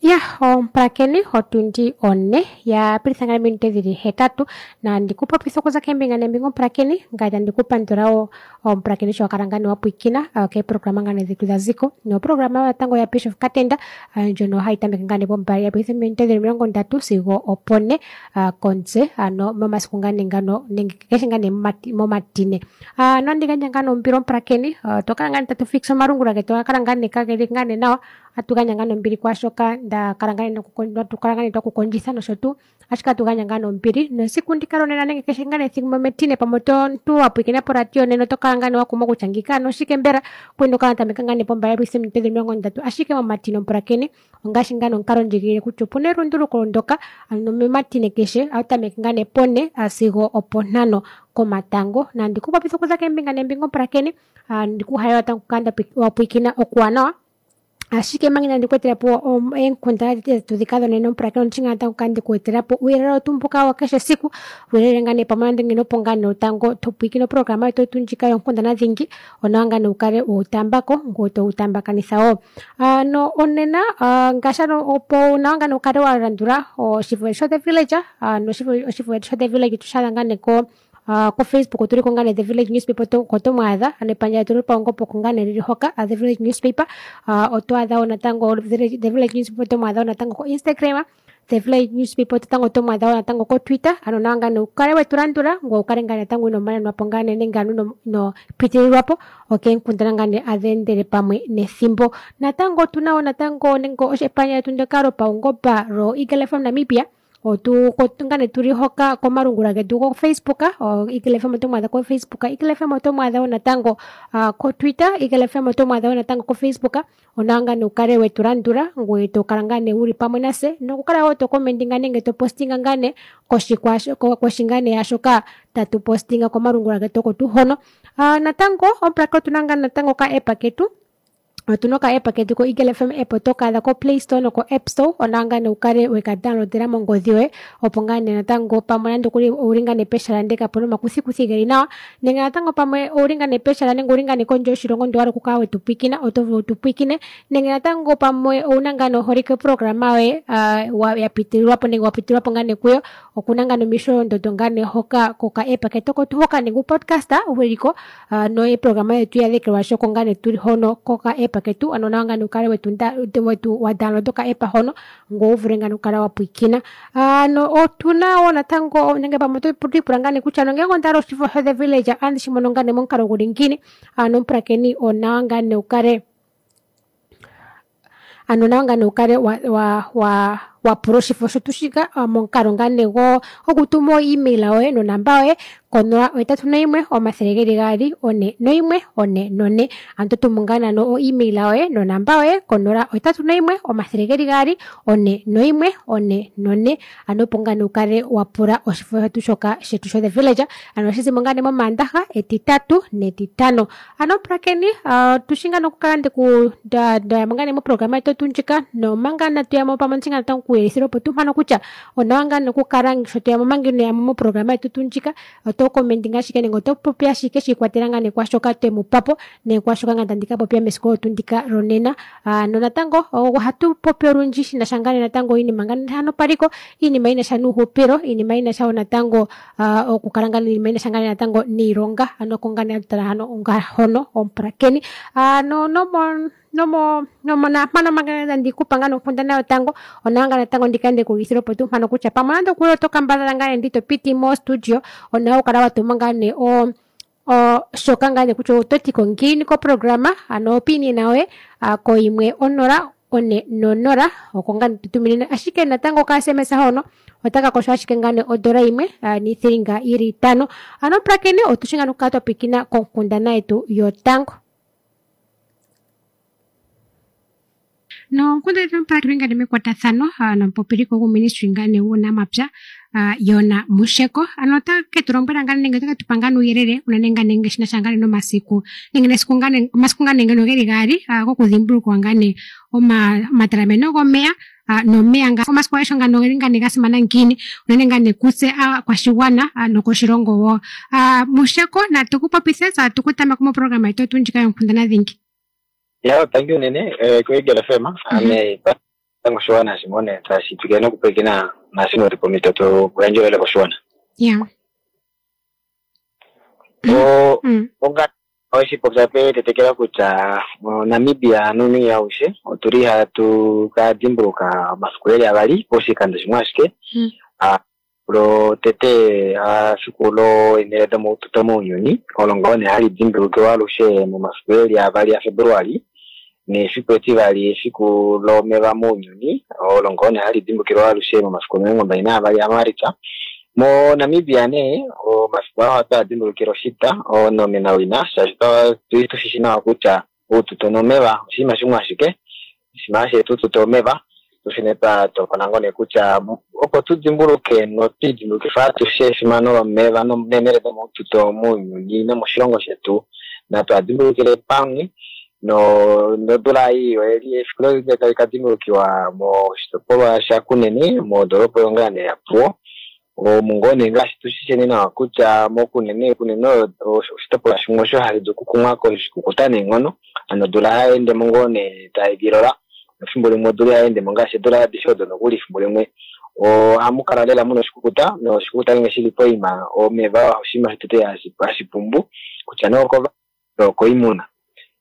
Ya omupulakeni otundi one ya pilitha ngaa ominute dhili hetatu nandi ku popitha okuza kembinga nembinga omupulakeni ngaye tandi ku pandula wo omupulakeni sho wa kala ngaa nee wa pwiikina keeprograma ngaa nee dhetu dha ziko noprograma natango ya Bishop Katenda ndjono hayi tameke ngaa nee pombali ya pilitha ominute dhili 30 sigo opone komutse ano momasiku ngaa nee ngano nenge kehe ngaa nee momatine. Nandi gandja ngaa nee ombili omupulakeni otwa kala ngaa nee tatu fixa omalungula getu oga kala ngaa nee kageli ngaa nee nawa atu gandja ngaa nombili kwaashoka nda kala ngaa nee kala ngaa nee twakukondjitha nosho tuu ashike atu gandja ngaa nombili nesiku ndika lonena nenge keshe ngaa ethimbo metine pamwe omuntu wa pwiikina poradio nena oto kala ngaa nee wa kumwa kutya ngika ano oshike mbela kwene okala tameka ngaa nee pombala minute 30 ashike momatine omupulakeni ongaashi ngaa nomukalo ndjigilile kutya opuna elunduluko ndoka ano momatine keshe otameke ngaa nee pone sigo opontano komatango nandi ku popitha okuza kembinga nembinga omupulakeni ndikuhalela tango kukala wa pwiikina okuwanawa ashike manga inandi ku etela po eenkundana dhetu dhika dhonena omupulakeni ondi shi ngaa natango kukala ndeku etela po uuyelele wetu mbuka wa keshe esiku uuyelele ngaa nee pamwe nande ngeno opo ngaa nee tango to pwiikine oprograma yetu yetu ndjika yonkundana dhingi onawa ngaa nee wukale wewu taambako ngoye towu taambakanitha wo. Ano onena ngaashi ano opo nawa ngaa nee wukale wa landula oshifo sho The Village ano oshifo sho The Village tushaadha ngaa nee ko ko Facebook otuli ko ngaa nee The Village Newspaper oko tomu adha ano epandja lyetu lopaungomba oko ngaa nee lili hoka The Village Newspaper oto adha wo natango The Village Newspaper oto mu adha wo natango ko Instagram The Village Newspaper natango oto mu adha wo natango ko Twitter ano nawa ngaa nee wukale wetu landula ngoye wukale ngaa natango ino manenwa po ngaa nee nenge ano ino pitililwa po okeenkundana ngaa nee adhi endele pamwe nethimbo. Natango otuna wo natango nenge epandja lyetu ndyoka lopaungomba lo Eagle FM Namibia otu ngaa nee tuli hoka komalungula getu go Facebook Eagle FM oto mu adha ko Facebook Eagle FM oto mu adha wo natango ko Twitter Eagle FM oto mu adha wo natango ko Facebook onawa ngaa nee wukale wetu landula ngoye to kala ngaa nee wuli pamwe nase nokukala wo to commentinga nenge to postinga ngaa nee koshi ngaa nee yaashoka tatu postinga komalungula getu oko tuu hono. Natango omupulakeni otuna ngaa natango oka app ketu otuna oka app ketu ko Eagle FM app oto ka adha ko Play Store noko App Store onawa ngaa nee wukale weka downloadela mongodhi yoye opo ngaa nee natango pamwe nande okuli owuli ngaa nee pehala ndele kapuna omakuthikuthi geli nawa nenge natango pamwe owuli ngaa nee pehala nenge owuli ngaa nee kondje yoshilongo ndele owahala okukala wetu pwiikina oto vulu wutu pwiikine nenge natango pamwe owuna ngaa nee oholike oprograma yoye ya pitililwa po nenge wa pitililwa po ngaa nee kuyo okuna ngaa nee omisholondondo ngaa nee hoka koka app ketu oko tuu hoka nenge upodcast wuliko noeprograma yetu ya dhekelwashi oko ngaa nee tuli hono koka app ketu ano nawa ngaa nee wukale wetu wa download oka app hono ngoye wu vule ngaa nee okukala wa pwiikina. Ano otuna wo natango nenge pamwe oto ipula ngaa nee kutya nongele onda hala oshifo sho The Village otandi shi mono ngaa nee momukalo guli ngiini ano omupulakeni onawa ngaa nee wukale ano nawa ngaa nee wukale wa pula oshifo shetu shika momukalo ngaa nee gokutuma o email yoye nonamba yoye ko 081 200 41 44 ano to tumu ngaa nano o email yoye nonamba yoye ko 081 200 41 44 ano opo ngaa nee wukale wa pula oshifo shetu shoka shetu sho The Village ano ohashi zimo ngaa nee momaandaha, etitatu netitano. Ano pulakeni otushi ngaa nokukala ndayamo ngaa nee moprograma yetu tuu ndjika nomanga inatu yamo pamwe ondi shi ngaa natango okuyelithila opo tuu mpano kutya onawa ngaa nokukala sho toyamo omanga inoyamo moprograma yetu tuu ndjika oto commentinga ashike nenge oto popi ashike shi ikwatelela ngaa nee kwaashoka twemu papo nenge kwaashoka ngaa tandi ka popya mesiku olyo tuu ndika lonena. Nonatango ohatu popi olundji shinasha ngaa nee natango iinima ngaa hano paliko iinima yinasha nuuhupilo iinima yinasha wo natango okukala ngaa iinima yinasha ngaa natango niilonga ano oko ngaa nee hatu tala hano hono omupulakeni. Ano nomo naampano manga tandi kupa ngaa nonkundana yotango onawa ngaa natango ndikale ndeku uvithila opo tuu mpano kutya pamwe nande okuli oto kambadhala ngaa nee ndi to piti mo studio onawa okukala wa tuma ngaa nee shoka ngaa nee kutya oto tiko ngiini koprograma ano opinion yoye koyimwe onola one nonola oko ngaa nee tutuminine ashike natango oka SMS hono otaka kosho ashike ngaa nee odola yimwe niithilinga yili itano. Ano omupulakeni otushi ngaa nokukala twa pwiikina konkundana yetu yotango. Nonkundana yetu omupulakeni ngaa nee mekwatathano nomupopiliko guuministry ngaa nee wuunamapya Yona Musheko ano ota ke tu lombwela ngaa nenge ota ke tu pa ngaa nuuyelele unene ngaa nenge shinasha ngaa nee nomasiku nenge nesiku ngaa nee omasiku ngaa nee ngeno geli gaali gokudhimbulukwa ngaa nee omatalameno gomeya nomeya nga omasiku agehe ngano ogeli ngaa nee ga simana ngiini unene ngaa nee kutse aakwashigwana nokoshilongo wo. Musheko natu ku popithe tse atu ku tameka moprograma yetu tuu ndjika yonkundana dhingi. Ya, thank you nene ko Eagle FM. Ame Oshiwana shimone tashi twikile nokupwilikina naashi noli pomhito tu yandje koshiwana. Yeah. Onga oshipopya petetekela kutya moNamibia nuuni aushe otuli hatu ka dimbuluka omafiku eli avali poshikando shimwe ashike. Lotete efiku loenhele domaututo mounyuni olo ngoo nee hali dimbulukiwa alushe momafiku eli avali aFebruali, nefiku etivali efiku lomeva mounyuni olo ngoo nee hali dimbulukiwa alushe momafiku 22 aMaalitsa. MoNamibia nee omafiku aa ohatu a dimbulukile oshita onomenawina, shaashi tushishi nawa kutya oututo nomeva oshinima shimwe ashike, oshinima shetu tuto omeva. Tushine twa tokola ngoo nee kutya opo tu dimbuluke notwidimbulukifa atushe efimano lomeva neenhele domaututo mounyuni nomoshilongo shetu, natu a dimbulukile pamwe. Nodula ei oyeli efiku loli tali ka dimbulukiwa moshitopolwa shaKunene modoolopa yongaa yaPuwo. Omu ngoo nee ngaashi tushisheni nawa kutya moKunene Kunene oshitopolwa shimwe osho hashi dulu okukumwa koshikukuta neenghono, hano odula hayi endemo ngoo nee tayi vilola, efimbo limwe odula ihayi endemo ngaashi eedula adishe odo nokuli efimbo limwe ohamu kala lela muna oshikukuta, noshikukuta ngenge shili poima omeva oshinima shotete hashi pumbu kutya nee okoimuna.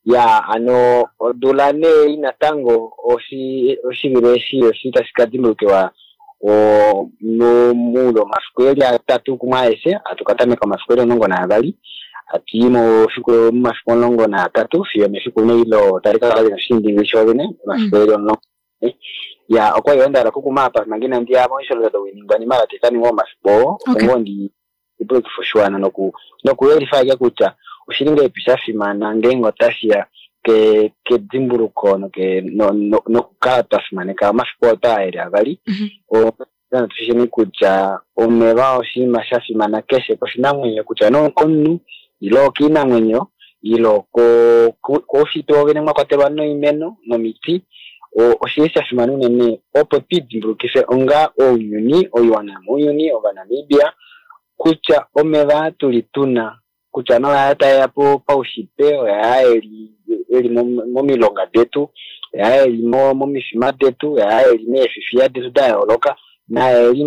Ya ano odula nee natango oshivilo eshi oshi tashi ka dimbulukiwa muule womafiku eli atatu kumwe aeshe, hatu ka tameka omafiku eli 12 hatuyi momafiku 13 fiyo mefiku neilo tali ka kala lina oshindingili shoovene omafiku eli 10. Ya okwali yoo ndahala okukuma apa manga inandi ya moishololo doiningwanima oyo tayi ka ningwa momafiku oo, opo ngoo ndi dimbulukife oshiwana nokuyelifa ashike kutya oshili ngahelipi sha fimana ngeenge otashiya kedimbuluko nokukala twa fimaneka omafiku oo taa eli avali. Tushisheni kutya omeva oshinima sha fimana keshe koshinamwenyo, kutya nee okomunhu ile okiinamwenyo ile koushitwe wovene mwa kwatelwa noimeno nomiti. Oshili sha fimana unene opo twiidimbulukife onga ounyuni, oiwana mounyuni, Ovanamibia, kutya omeva tuli tuna kutya noyaa taeya paushitwe, oyaa eli momilonga detu, oyaa eli momifima detu, oyaa eli meefifiya detu da yooloka, naa eli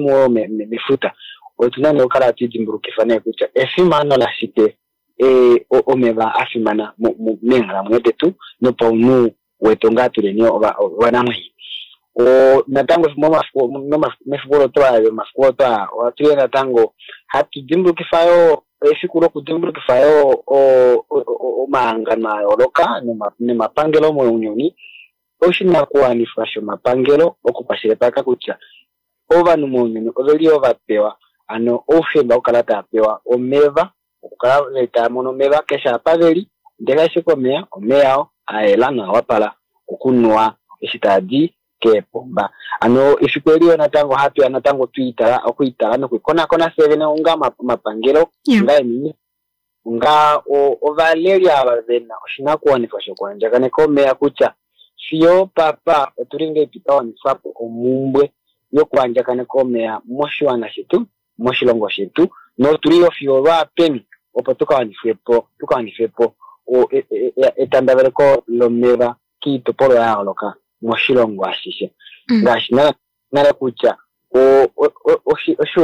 mefuta. Otuna nee okukala hatu idimbulukifa nee kutya efimano lashike omeva a fimana meenghalamwenyo detu nopaunhu wetu ngaa tuleni ovanamwenyo. Natango mefiku lomafiku otwa ohatu natango hatu dimbulukifa yoo efiku lokudimbulukifa yoo omahangano a yooloka nomapangelo mounyuni, oshinakuwanifwa shomapangelo okukwashilipaleka kutya ovanhu mounyuni oveli yoo vapewa ano oufemba wokukala tava pewa omeva, okukala tava mono omeva keshe apa veli, ndele ashike omeya omeya oo a yela noa wapala okunuwa eshi taadi keepomba. Ano efiku eli yo natango hatu ya natango okwiitala nokuikonakona fye vene onga omapangelo, onga eeministry, onga ovaleli ava vena oshinakuwanifwa shokuandjakaneka omeya kutya fiyo papa otuli ngahelipi twa wanifapo omumbwe yokuandjakaneka omeya moshiwana shetu, moshilongo shetu, notuli yo fiyo lwaapeni opo tuka wanifepo etandaveleko lomeva kiitopolwa ya yooloka moshilongo ashishe. Ngaashi nale kutya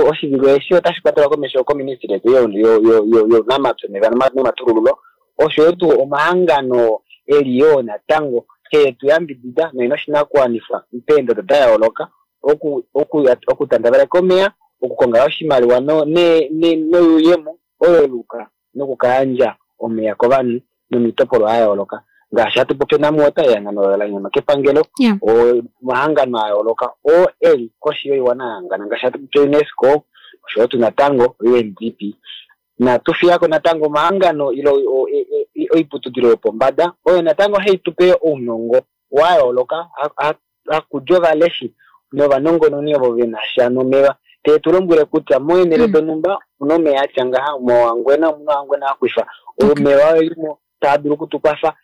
oshivilo eshi otashi kwatelwa komesho koministry yetu younamapya omeva nomatulululo, osho yo tuu omahangano eli yoo natango heetu yambidida noina oshinakuwanifwa peendodo da yooloka okutandaveleka omeya, okukonga oshimaliwa noyuuyemo oyo luka nokukayandja omeya kovanhu nomiitopolwa ya yooloka. Ngaashi hatu popi NamWater, ehangano la nyama kepangelo, omahangano a yooloka oo eli koshi yoiwana ya hangana, ngaashi hatu popi UNESCO, osho yo tuu natango UNDP. Natu fiyako natango omahangano ile oiputudilo yopombada oyo natango hai tupe ounongo wa yooloka, hakudja ovaleshi novanongononi ovo vena sha nomeva, tee tu lombwele kutya moenhele donhumba omuna omeya atya ngaha, moHangwena omuna Ohangwena Aquifer, omeva oelimo taa dulu okutukwafa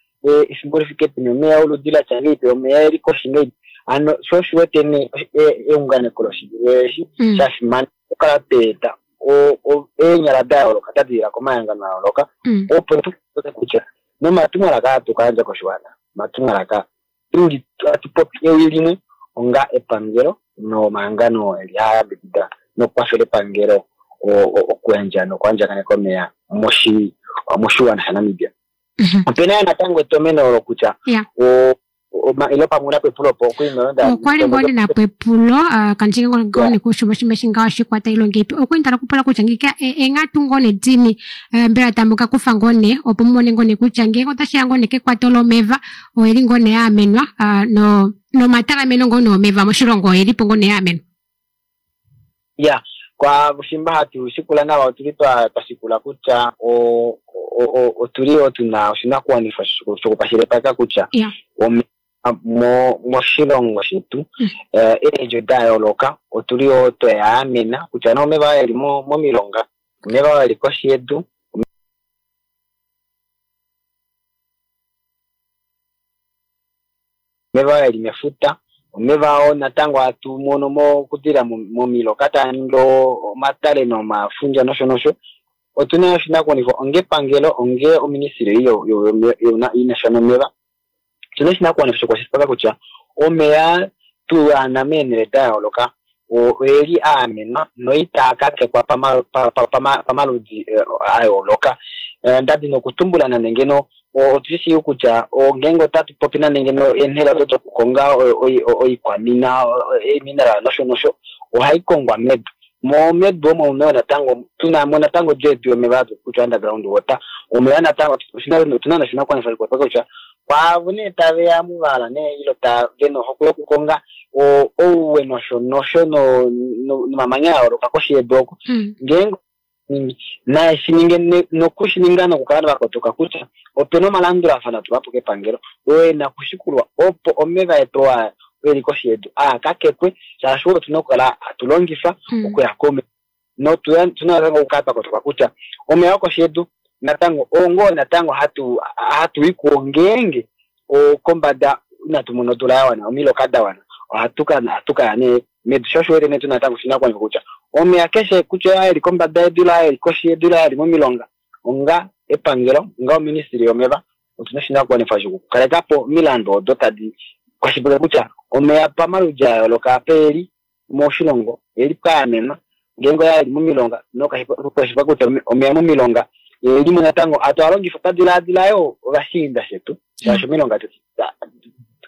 efimbo lifike peni, omeya oludi latya ngahelipi, omeya eli koshi ngahelipi. Hano sho osho wete nee eunganeko loshivilo eshi sha fimana okukala tweeta eenyala da yooloka da dilila komahangano a yooloka, opo tu kutya nomatumwalaka aa tu kayandja koshiwana, omatumwalaka tuli hatu popi ewi limwe, onga epangelo nomahangano eli hayambidida nokukwafela epangelo okuyandja nokuandjakaneka omeya moshiwana shaNamibia. Opena natango etomeno olo kutya ilo pamwe una pepulo po okwali ngoo ndina pepulo kandjinge ngoo nekushumashimashinga oshikwata ilonga ipi okwali ndala kupula kutya ngika enghatu ngoo nedini mbela tamu ka kufa ngoo ne opo mumone ngoo ne kutya ngeenge otashiya ngoo ne kekwato lomeva oyeli ngoo ne yaamenwa nomatalameno ngoo neomeva moshilongo oyelipo ngoo ne yaamenwa. Ya kwa shimba hatu shikula nawa otuli twa shikula kutya otuli otuna oshinakuwanifwa shokukwashilipaleka kutya moshilongo shetu eedjo da yooloka otuli yoo tweyaamena kutya omeva eli momilonga, omeva eli koshi yedu, omeva eli mefuta, omeva oo natango hatu mono mokudila momiloka taa ningi omatale nomafundja nosho nosho. Otuna oshinakuwanifwa onge epangelo onge oministry inasha nomeva, otuna oshinakuwanifwa shokukwashilipaleka kutya omeya tuana meenhele da yooloka oyeli aamenwa noitaa kakekwa pamaludi a yooloka. Ndadi nokutumbula nande ngeno otushi kutya ngeenge otatu popi nande ngeno eenhele odo dokukonga oikwamina eemineral nosho nosho ohai kongwa medu. Medu omo natango tuna mo natango odjo yetu yomeva kutya underground water omeya natango otuna noshinakuwanifwa kutya kwaavo nee taveya muvala nee ilo vena ohokwe yokukonga ouwe nosho nosho nomamanya a yooloka koshi yedu oko ngeenge naye shininge nokushininga nokukala vakotoka kutya opena omalandulafano atulwapo kepangelo oo ena kushikulwa opo omeva etu eli koshi yedu aakakekwe shaashi otuna okukala hatu longifa okuya komeva notuna natango okukala twakotoka kutya omeya okoshi yedu natango ongoo natango hatu i kuwo ngeenge kombada inatu mona odula ya wana omiloka da wana ohatu kaya nee medu. Sho osho wete nee tuna natango oshinakuwanifwa kutya omeya keshe kutya eli kombada yedu la eli koshi yedu la eli momilonga onga epangelo onga oministry yomeva otuna oshinakuwanifwa shokukalekapo omilandu odo tadi kwashilipaleke kutya omeya pamaludi a yooloka apa eli moshilongo eli paamenwa ngeenge oya eli momilonga nokwashilipaleka kutya omeya momilonga elimo natango hatu alongifa twadilaadila yoo ovashiinda shetu shaashi omilonga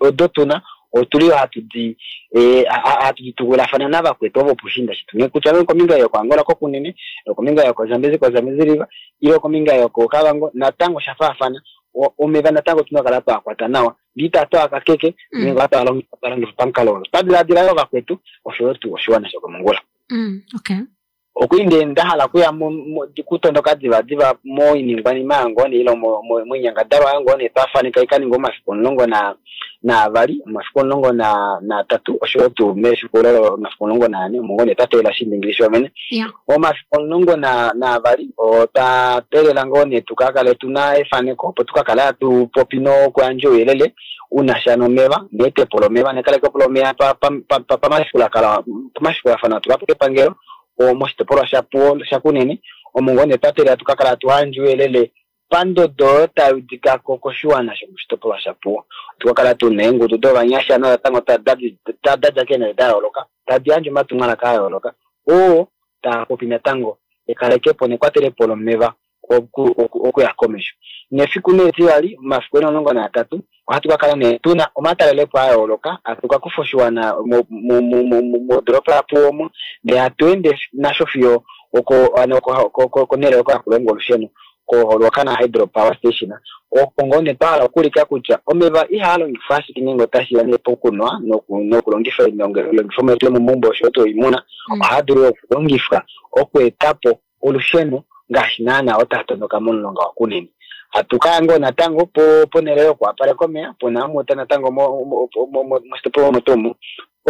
odo tuna otuli hatu di tukulafana navakwetu ovo pushiinda shetu kutya kombinga yokoAngola koKunene, kombinga yokoZambezi koZambezi River ile kombinga yokoKavango natango sha faafana omeva natango tuna okukala twakwata nawa ndee twakakeke nenge twalongifa pamukalo olo twadilaadila yoo vakwetu oshoyo tuu oshiwana shokomongula. Okwali nda hala okuya kutondoka divadiva moiningwanima yango ile moinyangadalwa yango nee twafaneka ikaninga omafiku 12, omafiku 13 oshoyo tuu mefiku omafiku 14 omo ngoo nee twa teelela oshiindingili shovene. Omafiku 12 otwa teelela ngoo nee tukakale tuna efaneko opo tukakale hatu popi nokuyandja ouyelele unasha nomeva neetepo lomeva nekalekepo lomeva pamashikulathano atulwapo kepangelo moshitopolwa shaPuwo shaKunene omo ngoo nee twa teelela tukakala tuhayandje ouyelele pandodo oyo tayudikako koshiwana shomoshitopolwa shaPuwo. Tukakala tuna eengudu dovanyasha natango dadja keenhele da yooloka tadi yandje omatumwalaka a yooloka oo taapopi natango ekalekepo nekwatelepo lomeva okuya komesho. Nefiku nee etivali omafiku 13 ohatu kakala nee tuna omatalelepo a yooloka hatu kakufa oshiwana modoropa yaPuwo omo ndee hatu ende nasho fiyo konhele oko haku longwa olusheno koRuacana Hydro Power Station opo ngoo nee twahala okuulika kutya omeva ihaa longifwa ashike ngeenge otashiya nee pokunwa nokulongifa oilongifomwa yetu yomomaumbo oshoyo tuu oimuna ohaa dulu okulongifwa okuetapo olusheno ngaashi naana otaa tondoka momulonga waKunene. Hatu kaya ngoo natango ponhele yokuwapaleka omeya pona amuta natango moshitopolwa omo tuu omo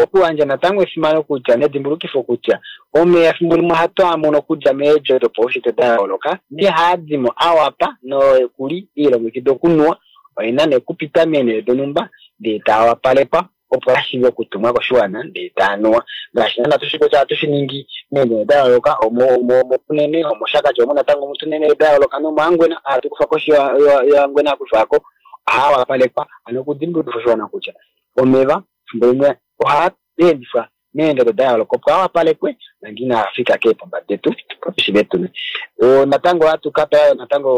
okuyandja natango efimano kutya nedimbulukifo kutya omeya efimbo limwe ohatu amono okudja meedjo dopaushitwe da yooloka ndee haadimo awapa nokuli iilongekidwa okunuwa oina nee okupita meenhele donhumba ndee taawapalekwa opo ashiive okutumwa koshiwana ndee taanuwa ngaashi naana tushi kutya ohatu shiningi meenhele da yooloka omoKunene omoShakati omo natango mutuna eenhele da yooloka nomoHangwena hatu kufa koshi yoHangwena hakufako ohaawapalekwa hano okudimbulukifa oshiwana kutya omeva efimbo limwe Ohaa endifwa meendodo da yooloka opo a wapalekwe manga inaa fika keepomba detu opo tu natango ohatu ka tala natango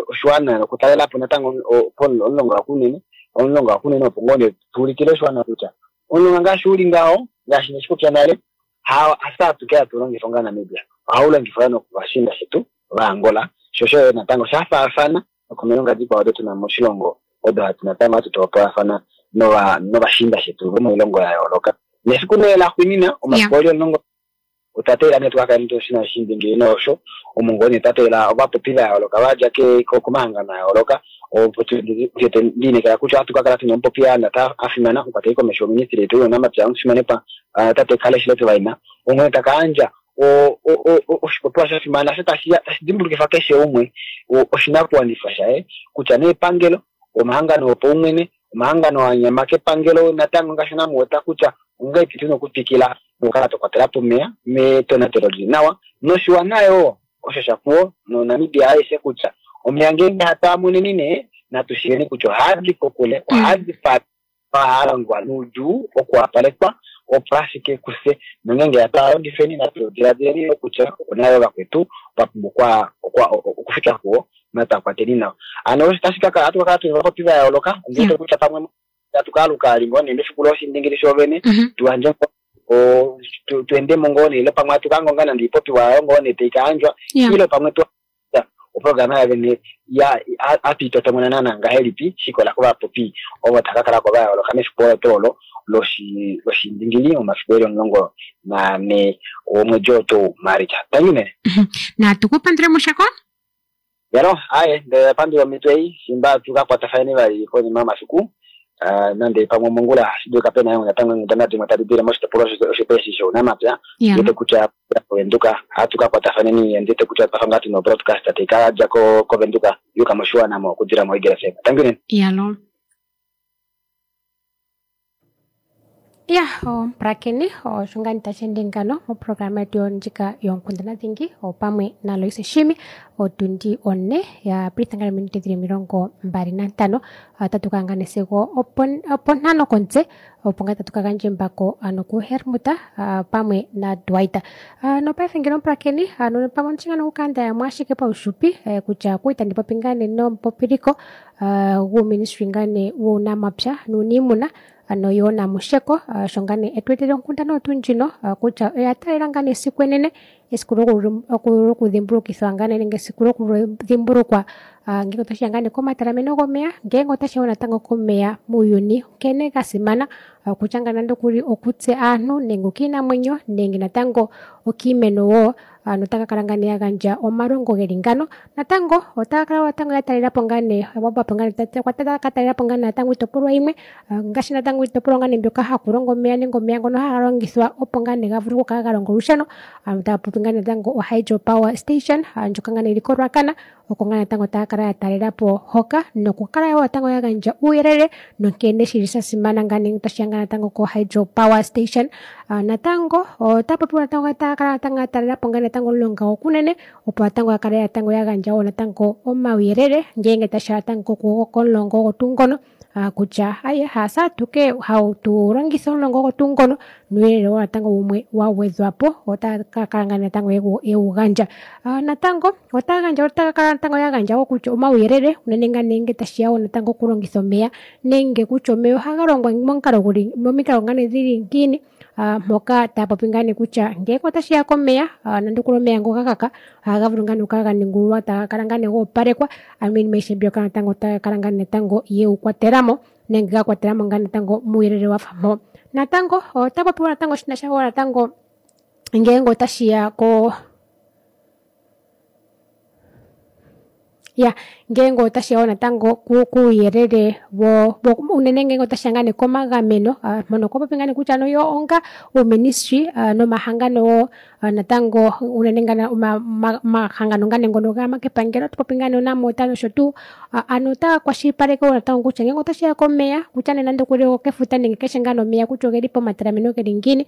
oshiwana nokutalela po natango omulonga waKunene, omulonga waKunene opo ngoo nee tuulikile oshiwana kutya omulonga ngaashi uli ngaho ngaashi neshipopya nale hafye atuke hatu longifa onga Namibia, ohau longifwa yoo nokovashiinda shetu vaAngola, sho osho natango sha faafana nokomilonga dikwao odo tuna moshilongo odo hatu natango hatu topolafana novashiinda shetu vomoilongo ya yooloka. Nefiku nee laxuuninwa omafiku eli 10 otwa teelela nee tukakale shina oshiindingili nosho omo ngoo nee twa teelela ovapopi va yooloka vadja komahangano a yooloka opo liinekela kutya ohatu kakala tuna omupopi a fimana omukwateli komesho woministry yetu younamapya omufimanekwa tate Kalle Schlettwein onghee taka yandja oshipopiwa sha fimana osho tashi dimbulukifa keshe umwe oshinakuwanifwa shaye kutya nee epangelo, omahangano opaumwene, omahangano a nyama kepangelo natango ngaashi namuweta kutya ongahelipi tuna okutwikila nokukala twakwatela po omeya metonatelo lili nawa noshiwana yoo osho shapuwo noNamibia aishe kutya omeya ngeenge hatu a moneni nee natu shiiveni kutya ohaadi kokule, ohaadi ohaa longwa noudjuu okuwapalekwa opo ashike kufye nongeenge hatu a longifeni natu diladileni kutya opuna yoo vakwetu va pumbwa okufika kuwo natu a kwateni nawa. Hano osho tashi kakala ohatu kakala tuna ovapopi va yooloka ondiwete kutya pamwe tatu kaaluka ngoo nee mefiku loshiindingili shoovene tuyandje tuendemo ngoo nee ile pamwe hatu kangonga nande oipopiwa yayo ngoo nee tai kayandjwa ile pamwe oprograma yavene hatu itotomona naana ngahelipi shikola kovapopi ovo tava kakala ko va yooloka mefiku olo tuu olo loshiindingili momafiku eli 14 womwedi oo tuu Maalitsa. Tangi nee. Natu kupandule Mushako. Yalo, aye, ndele pandula omhito ei shimba tukakwatafane vali konima yomafiku nande pamwe mongula ohashi dulika pena natango eenghundana dimwe tadi dile moshitopolwa osho eshi shounamapya. Ndiwete kutya koVenduka ohatu kakwatafaneni, ndiwete kutya twafa ngaa tuna obroadcast tai kadja koVenduka yuka moshiwana mo okudila moEagle FM. Tangi unene. Yalo. Ya, omupulakeni osho ngaa tashi ende ngano moprograma yetu ndjika yoonkundana dhingi opamwe naLoise Shimi otundi 4 ya pilitha ngaa ominute dhili 25 otatu ka ngane sigo opo5 komutse opo ngaa tatu ka gandja embako ano kuHermut pamwe naDwight. Nopaife ngele omupulakeni ano pamwe omushi ngaa nokukanda yamwe ashike paufupi kutya okuli tandi popi ngaa nee nomupopiliko guuministry ngaa nee wuunamapya nuuniimuna ano Joona Musheko sho ngaa nee etu etele onkundana oyo tuu ndjino kutya oya taalela ngaa nee esiku enene esiku lokudhimbulukithwa ngaa nee nenge esiku lokudhimbulukwa ngele otashiya ngaa nee komatalameno gomeya ngeenge otashiya wo natango komeya muuyuni nkene ga simana okutya ngaa nande okuli okutse aantu nenge okiinamwenyo nenge natango okiimeno wo ano otaka kala ngaa nee ya gandja omalongo geli ngano natango otaya kala natango ya talela po ngaa nee ka talela po ngaa natango iitopolwa yimwe ngaashi natango iitopolwa ngaa nee mbyoka haku longo omeya nenge omeya ngono haga longithwa opo ngaa nee ga vule okukala ga longa olusheno ano taya popi ngaa natango o hydro power station ndjoka ngaa nee yili koRuacana oko ngaa natango taya kala ya talela po hoka nokukala wo natango ya gandja uuyelele nonkene shili sha simana ngaa nee tashiya ngaa natango ko hydro power station. Natango ota popiwa natango taya kala natango ya talela po ngaa natango omulonga gwoKunene opo natango ya kale natango ya gandja wo natango omauyelele ngeenge tashiya natango komulonga ogo tuu ngono kutya aye hase atuke hatu longitha omulonga ogo tuu ngono nuuyelele wo natango wumwe wa gwedhwa po otaya ka kala ngaa natango yewu gandja. Natango otaya gandja otaya kala natango ya gandja wo kutya omauyelele unene ngaa nee ngele tashiya wo natango okulongitha omeya nenge kutya omeya ohaga longwa momukalo guli momikalo ngaa nee dhili ngiini mpoka taya popi ngaa nee kutya ngele otashiya komeya nande okuli omeya ngoka ga kaka ohaga vulu ngaa nee okukala ga ningululwa taga kala ngaa nee ga opalekwa ano iinima ayihe mbyoka natango otaya kala ngaa natango yewu kwatelamo nenge ga kwatelamo ngaa natango muuyelele wafa mpo. Natango ota popiwa natango shinasha wo natango ngeenge otashiya ko ya ngeenge otashiya wo natango kuuyelele unene ngeenge otashiya ngaa nee komagameno mpono okwa popi ngaa nee kutya yo onga uuministry nomahangano wo natango unene ngaa omahangano ngaa nee ngono ga kepangelo ota popi ngaa nee oNamwater nosho tuu ano otaya kwashilipaleke wo natango kutya ngeenge otashiya komeya kutya nee nande okuli okefuta nenge keshe ngaa nee omeya kutya ogeli pomatalameno geli ngiini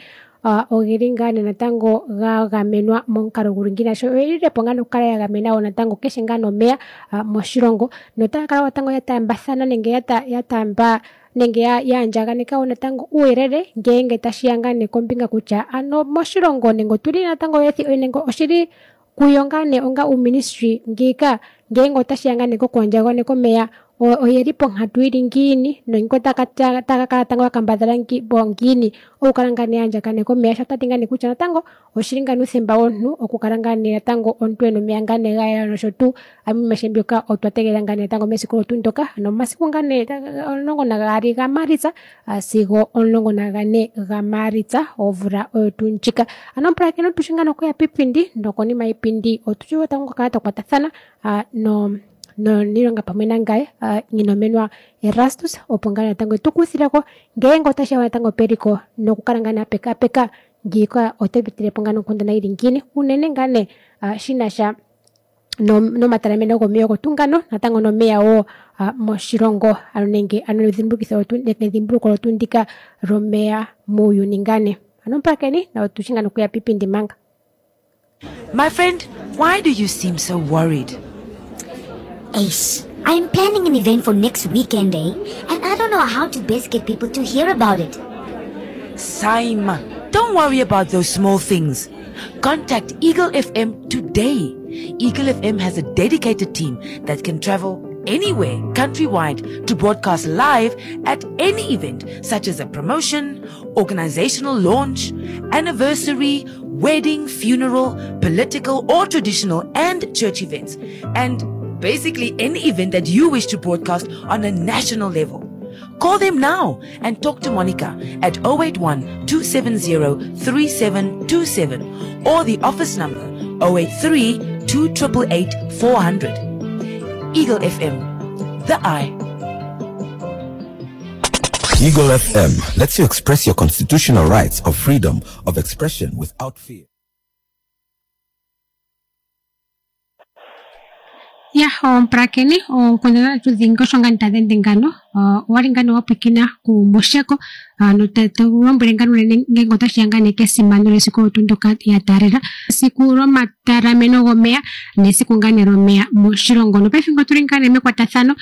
ogeli ngaa nee natango ga gamenwa momukalo guli ngiini sho oyelilepo ngaa nee okukala ya gamena wo natango keshe ngaa nee omeya moshilongo notaya kala natango ya taambathana nenge ya taamba nenge ya andjaganeka wo natango uuyelele ngeenge tashiya ngaa nee kombinga kutya ano moshilongo nenge otuli natango nenge oshili kuyo ngaa nee onga uuministry ngiika ngeenge otashiya ngaa nee kokuandjaganeka omeya oyeli ponkatu ili ngiini nongo taka kala tango yakambadhala ngiini okukala ngaa nee yaandjaganeka omeya sho tati ngaa nee kutya natango oshili ngaa uuthemba womuntu okukala ngaa nee natango omuntu ena omeya ngaa nee gayela nosho tuu. Amuhe mbyoka otwa tegelela ngaa nee natango mesiku olyo tuu ndyoka ano omasiku ngaa nee 12 gaMaalitsa sigo 14 gaMaalitsa omvula oyo tuu ndjika. Ano omupulakeni otushi ngaa nee okuya piipindi nokonima yiipindi otushi wo tango okukala twa kwatathana noniilonga pamwe nangaye Nghinomenwa Erastus opo ngaa natango etukuthileko ngeenge otashiya natango peliko nokukala ngaa nee apekaapeka ngiika oto pitilepo ngaa nonkundana yili ngiini unene ngaa nee shinasha nomatalameno gomeya ogo tuu ngano natango nomeya wo moshilongo ano nenge ano edhimbulukitho nedhimbuluko olyo tuu ndika lyomeya muuyuni ngaa nee. Ano omupulakeni otushi ngaa nee okuya piipindi manga. My friend, why do you seem so worried? Ace, I'm planning an event for next weekend, eh? And I don't know how to best get people to hear about it. Saima, don't worry about those small things. Contact Eagle FM today. Eagle FM has a dedicated team that can travel anywhere countrywide to broadcast live at any event such as a promotion, organizational launch, anniversary, wedding, funeral, political or traditional and church events, and basically any event that you wish to broadcast on a national level. Call them now and talk to Monica at 081 270 3727 or the office number 083 288 400. Eagle FM, the eye. Eagle FM lets you express your constitutional rights of freedom of expression without fear. Ya, omupulakeni oonkundana dhetu dhingi osho ngaa tadhi ende ngano. Owali ngaa wapwikina kuMusheko note tu lombwele ngaa unene ngele otashiya ngaa nee kesimano lyesiku olyo tuu ndyoka ya taalela esiku lyomatalameno gomeya nesiku ngaa nee lyomeya moshilongo. Nopaife otuli ngaa nee mekwatathano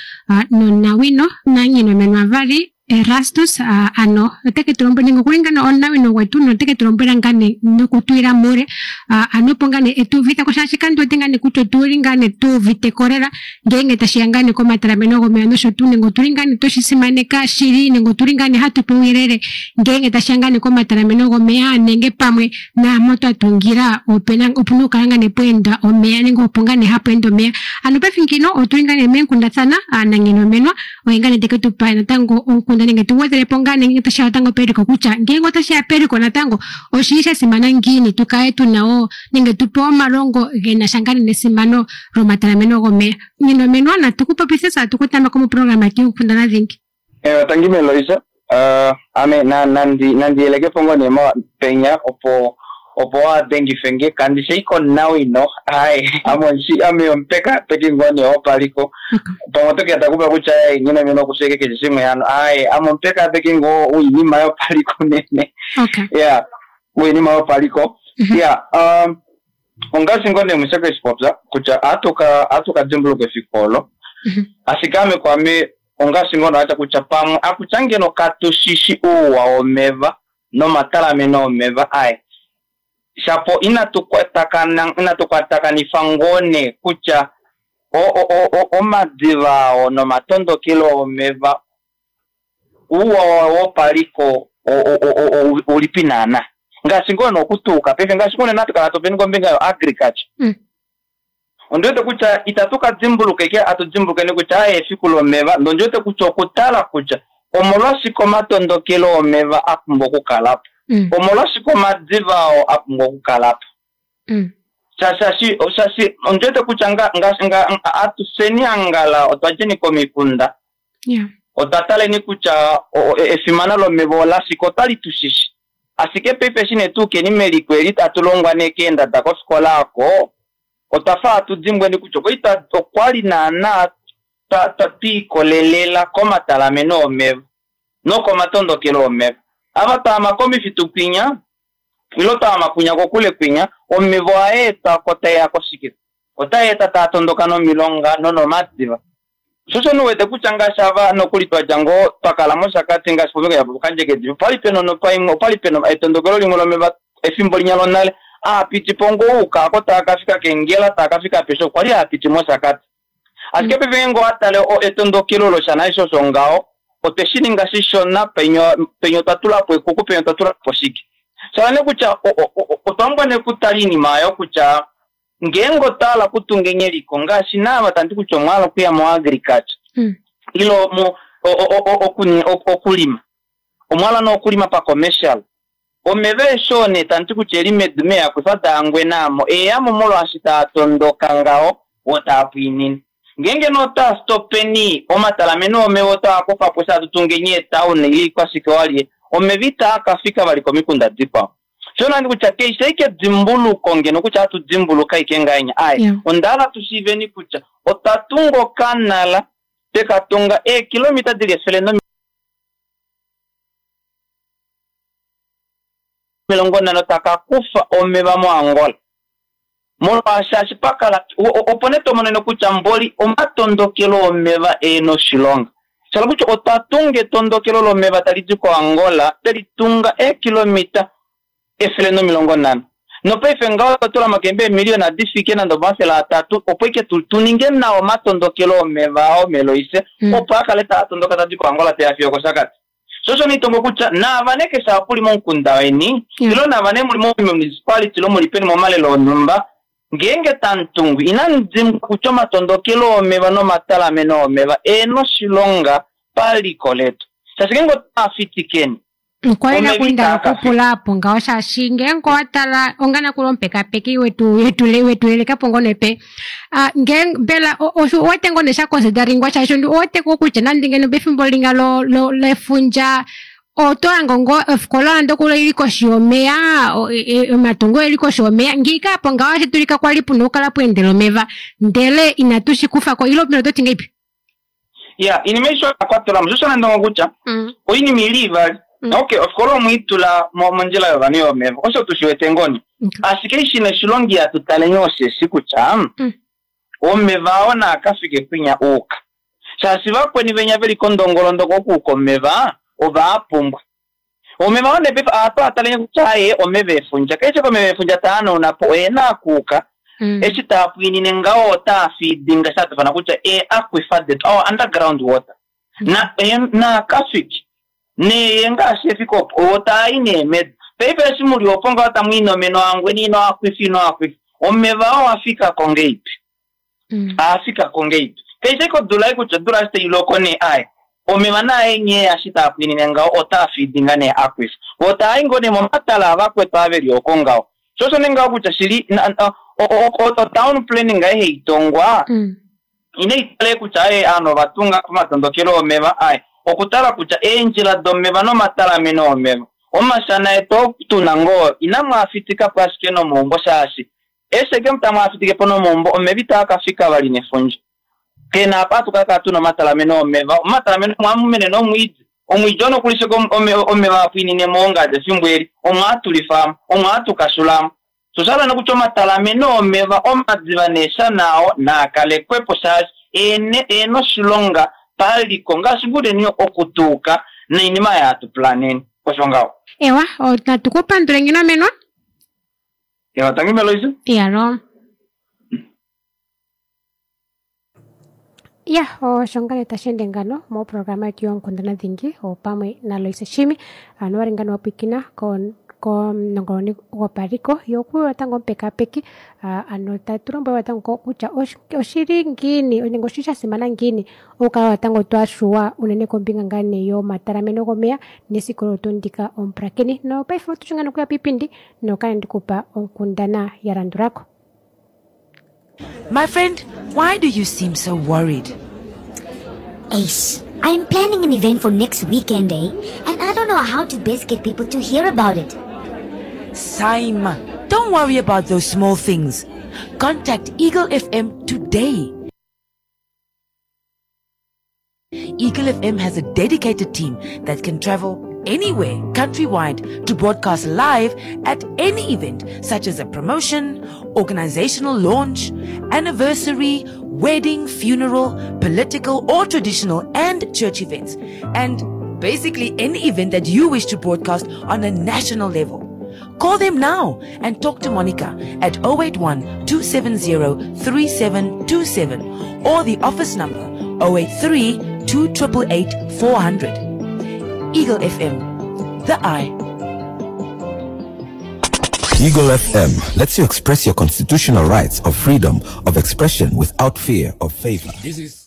nonawino naNginomenwa Vali Erastus ano oteke tu lombwele nenge okuli ngaa nee omunawino gwetu noteke tu lombwela ngaa nee nokutuyila muule ano opo ngaa nee etuuvitheko shaashi kandi wete ngaa nee kutya otuli ngaa nee tuuviteko lela ngeenge tashiya ngaa nee komatalameno gomeya nosho tuu nenge otuli ngaa nee tweshi simaneka shili nenge otuli ngaa nee hatu pewa uuyelele ngeenge tashiya ngaa nee komatalameno gomeya nenge pamwe naampo twa tungila opena opuna okukala ngaa nee pweenda omeya nenge opo ngaa nee hapu ende omeya. Ano paife ngino otuli ngaa nee meenkundathana naNginomenwa oye ngaa nee teke tupa natango onkunda nenge tugwedhelepo ngaa nee ngele tashiya natango peliko kutya ngeenge otashiya peliko natango oshili sha simana ngiini tukale tuna wo nenge tupewe omalongo genasha ngaa nee nesimano lyomatalameno gomeya. Nginomenwa natu ku popithe tse atu ku taamba moprograma yetu yonkundana dhingi. Tangi Meloisa, ame nandi yelekepo ngoo nee penya opo waadengife nge kandi shi konawino aye ame omupekapeki ngoo nee wopaliko pamwe otokeya takupa kutya Nginomenwa okusheke keshe shimwe hano aye ame omupekapeki ngoo woinima yopaliko unene ya woinima yopaliko ya ongaashi ngoo nee Musheko eshi popya kutya ohatu dimbuluka efiku olo ashike ame kwame ongaashi ngoo atya kutya pamwe akutya ngeno katushishi uuwa womeva nomatalameno omeva aye shapo inatu kwatakanifa ngoo nee kutya omadiva ao nomatondokelo omeva uuwa wopaliko ulipi naana ngaashi ngoo nokutuuka paife ngaashi ngoo natu kala topeni kombinga yo agriculture ondiwete kutya itatu ka dimbuluka ike atu dimbulukeni kutya aye efiku lomeva nondiwete kutya okutala kutya omolwashike omatondokelo omeva a pumbwa okukalapo omolwashike omadiva ao a pumbwa okukalapo shashi ondiwete kutya atuseni angala otwa djeni komikunda otwa taleni kutya efimano lomeva olashike otwali tushishi ashike paife eshi nee tuukeni meliko eli tatu longwa nee keendada kofikola oko otwafa atu dimbweni kutya okwali naana twiikolelela komatalameno omeva nokomatondokelo omeva ava twaama komifitu kwinya ilo twaama kwinya kokule kwinya omeva ohaeetwako taeya koshike otaeeta taa tondoka nomilonga nonomadiva Shosho nuwete kutya ngaashi ava nokuli twadja ngoo twakala mOshakati ngaashi pombinga yaPokandjekedi opali pena onopa imwe opali pena etondokelo limwe lomeva efimbo linya lonale aapiti po ngoo uka ako taakafika kEngela taakafika apeshe okwali haapiti mOshakati. Ashike paife ngeenge owatale etondokelo loshana eshi osho ngaho otwe shi ninga shishona penya penya otwa tulapo ekuku penya otwa tulapo shike. Shala nee kutya otwa pumbwa nee okutala iinima oyo kutya ngeenge otwa hala okutunga eliko ngaashi naava tandi kutya omwa hala okuya mo agriculture ile mo okulima omwa hala nee okulima pa commercial omeva eshi oo nee tandi kutya eli medu meeaquifer daangwena aamo eeyamo molwaashi taa tondoka ngaho oo taa pwiinine. Ngeenge nee otwa stopeni omatalameno omeva otaa kufapo eshi hatu tungeni eetown ile ikwashike walye omeva itaa kafika vali komikunda dikwao. Sho nandi kutya kaishi ashike edimbuluko ngeno kutya hatu dimbuluka ashike ngahenya aaye onda hala tushiiveni kutya otwa tunga okanala tweka tunga eekilomita dili 150 takakufa omeva moAngola. Molwaashi ashi pakala opo nee tomonene kutya mboli omatondokelo omeva eena oshilonga. Shala kutya otwa tunga etondokelo lomeva tali di koAngola twelitunga eekilomita 150. Nopaife ngaho otwa tula mokembe eemiliyona difike nande 300 opo ike tuninge nawa omatondokelo omeva ao meloise opo akale taa tondoka tadi koAngola teya fiyo okOshakati. Sho osho niitongo kutya naava nee keshe apa uli momukunda weni ile naava nee muli momunicipality ile muli peni momalelo onhumba ngeenge tamutungu inamu dimbwa kutya omatondokelo omeva nomatalameno omeva eena oshilonga paliko letu. Shaashi ngeenge otaa fitikeni Okwali omeva nakulinda itaa kafika. okupula apo ngaho shaashi ngeenge owatala ongana kuli omupekapeki wetu wetulelekapo ngoo nepe ngeenge mbela osho owete ngoo nee shaconsideringwa shaashi owete ngoo kutya nande ngeno pefimbo linga lefundja oto hange ngoo ofikola nande okuli ili koshi yomeya omatungo eli koshi yomeya ngiika apo ngaho otashi dulika kwali puna okukala pweendela omeva ndele inatu shikufako ile mbela ototi ngahelipi? Ya, iinima aishe oya kwatelwamo. Sho osho nandongo kutya oinima ili ivali. Okay, ofikola omwiitula mondjila yovanhu yomeva osho tushiwete ngoo nee. Ashike shina oshilonga ihatu taleni osheshi kutya omeva ao naakafike kwinya uuka. Shaashi vakweni venya veli kondongolondoko okuuka omeva ovaapumbwa. Omeva oo nee paife ohatu ataleni kutya aaye omeva efundja. Keshe komeva efundja taanauna po oena akuuka eshi taa pwiinine ngaho otaa feedinga sha tufana kutya ee-aquifer detu our underground water na naakafiki neye ngaashi efika opo otaa i nee medu. Paife eshi muli opo ngaho tamu inomene oangweni ino aquifer ino aquifer omeva oo afikako ngeipi? Aafikako ngeipi? Kaishi ashike odula ei kutya odula eshi tailoko nee aaye omeva naaye nghee ashi taa pwiinine ngaho otaa feedinga nee aquifer. Vo taai ngoo nee momatala avakwetu ava veli oko ngaho. Sho osho nee ngaho kutya shili o-town planning aye haitongwa inaitale kutya aye ovanhu ovatunga pomatondokelo omeva aye okutala kutya eendjila domeva nomatalameno omeva omashana etu tuna ngoo inamu afitikapo ashike nomaumbo shaashi eshi eke tamu afitikepo nomaumbo omeva itaa kafika vali nefundja. Kena apa hatu kakala tuna omatalameno omeva omatalameno omwamumene nomwiidi omwiidi oo nokuli sheke omeva apwiinine moongadi efimbo eli omwaatulifamo omwaatukashulamo. Sho oshahala nee kutya omatalameno omeva omadiva neeshana ao naakalekwepo shaashi eena oshilonga paliko ngaashi nguleni okutuuka noinima yaatu planeni osho ngaho. Ewa, natu kupandule ngino menwa. Ewa, tangi Meloise. Iyalo. Ya, osho ngane tashi ende ngano moprograma yetu yonkundana dhingi opamwe naLoise Shimi ano wali ngano wapwikina komunongononi gopaliko yokuyo natango omupekapeki ano tatu lombwelwa natango kutya oshili ngiini nenge oshili sha simana ngiini okukala natango twashuwa unene kombinga ngaa nee yomatalameno gomeya nesiku olo tuu ndika omupulakeni nopaife otushi ngaa nokuya piipindi nokale ndikupa onkundana ya landulako. My friend, why do you seem so worried? Ace, I'm planning an event for next weekend, eh? And I don't know how to best get people to hear about it. Saima, don't worry about those small things. Contact Eagle FM today. Eagle FM has a dedicated team that can travel anywhere countrywide to broadcast live at any event, such as a promotion organizational launch, anniversary, wedding, funeral, political or traditional and church events, and basically any event that you wish to broadcast on a national level. Call them now and talk to Monica at 081 270 3727 or the office number 083 2888 400. Eagle FM, the eye. Eagle FM lets you express your constitutional rights of freedom of expression without fear of favor. This is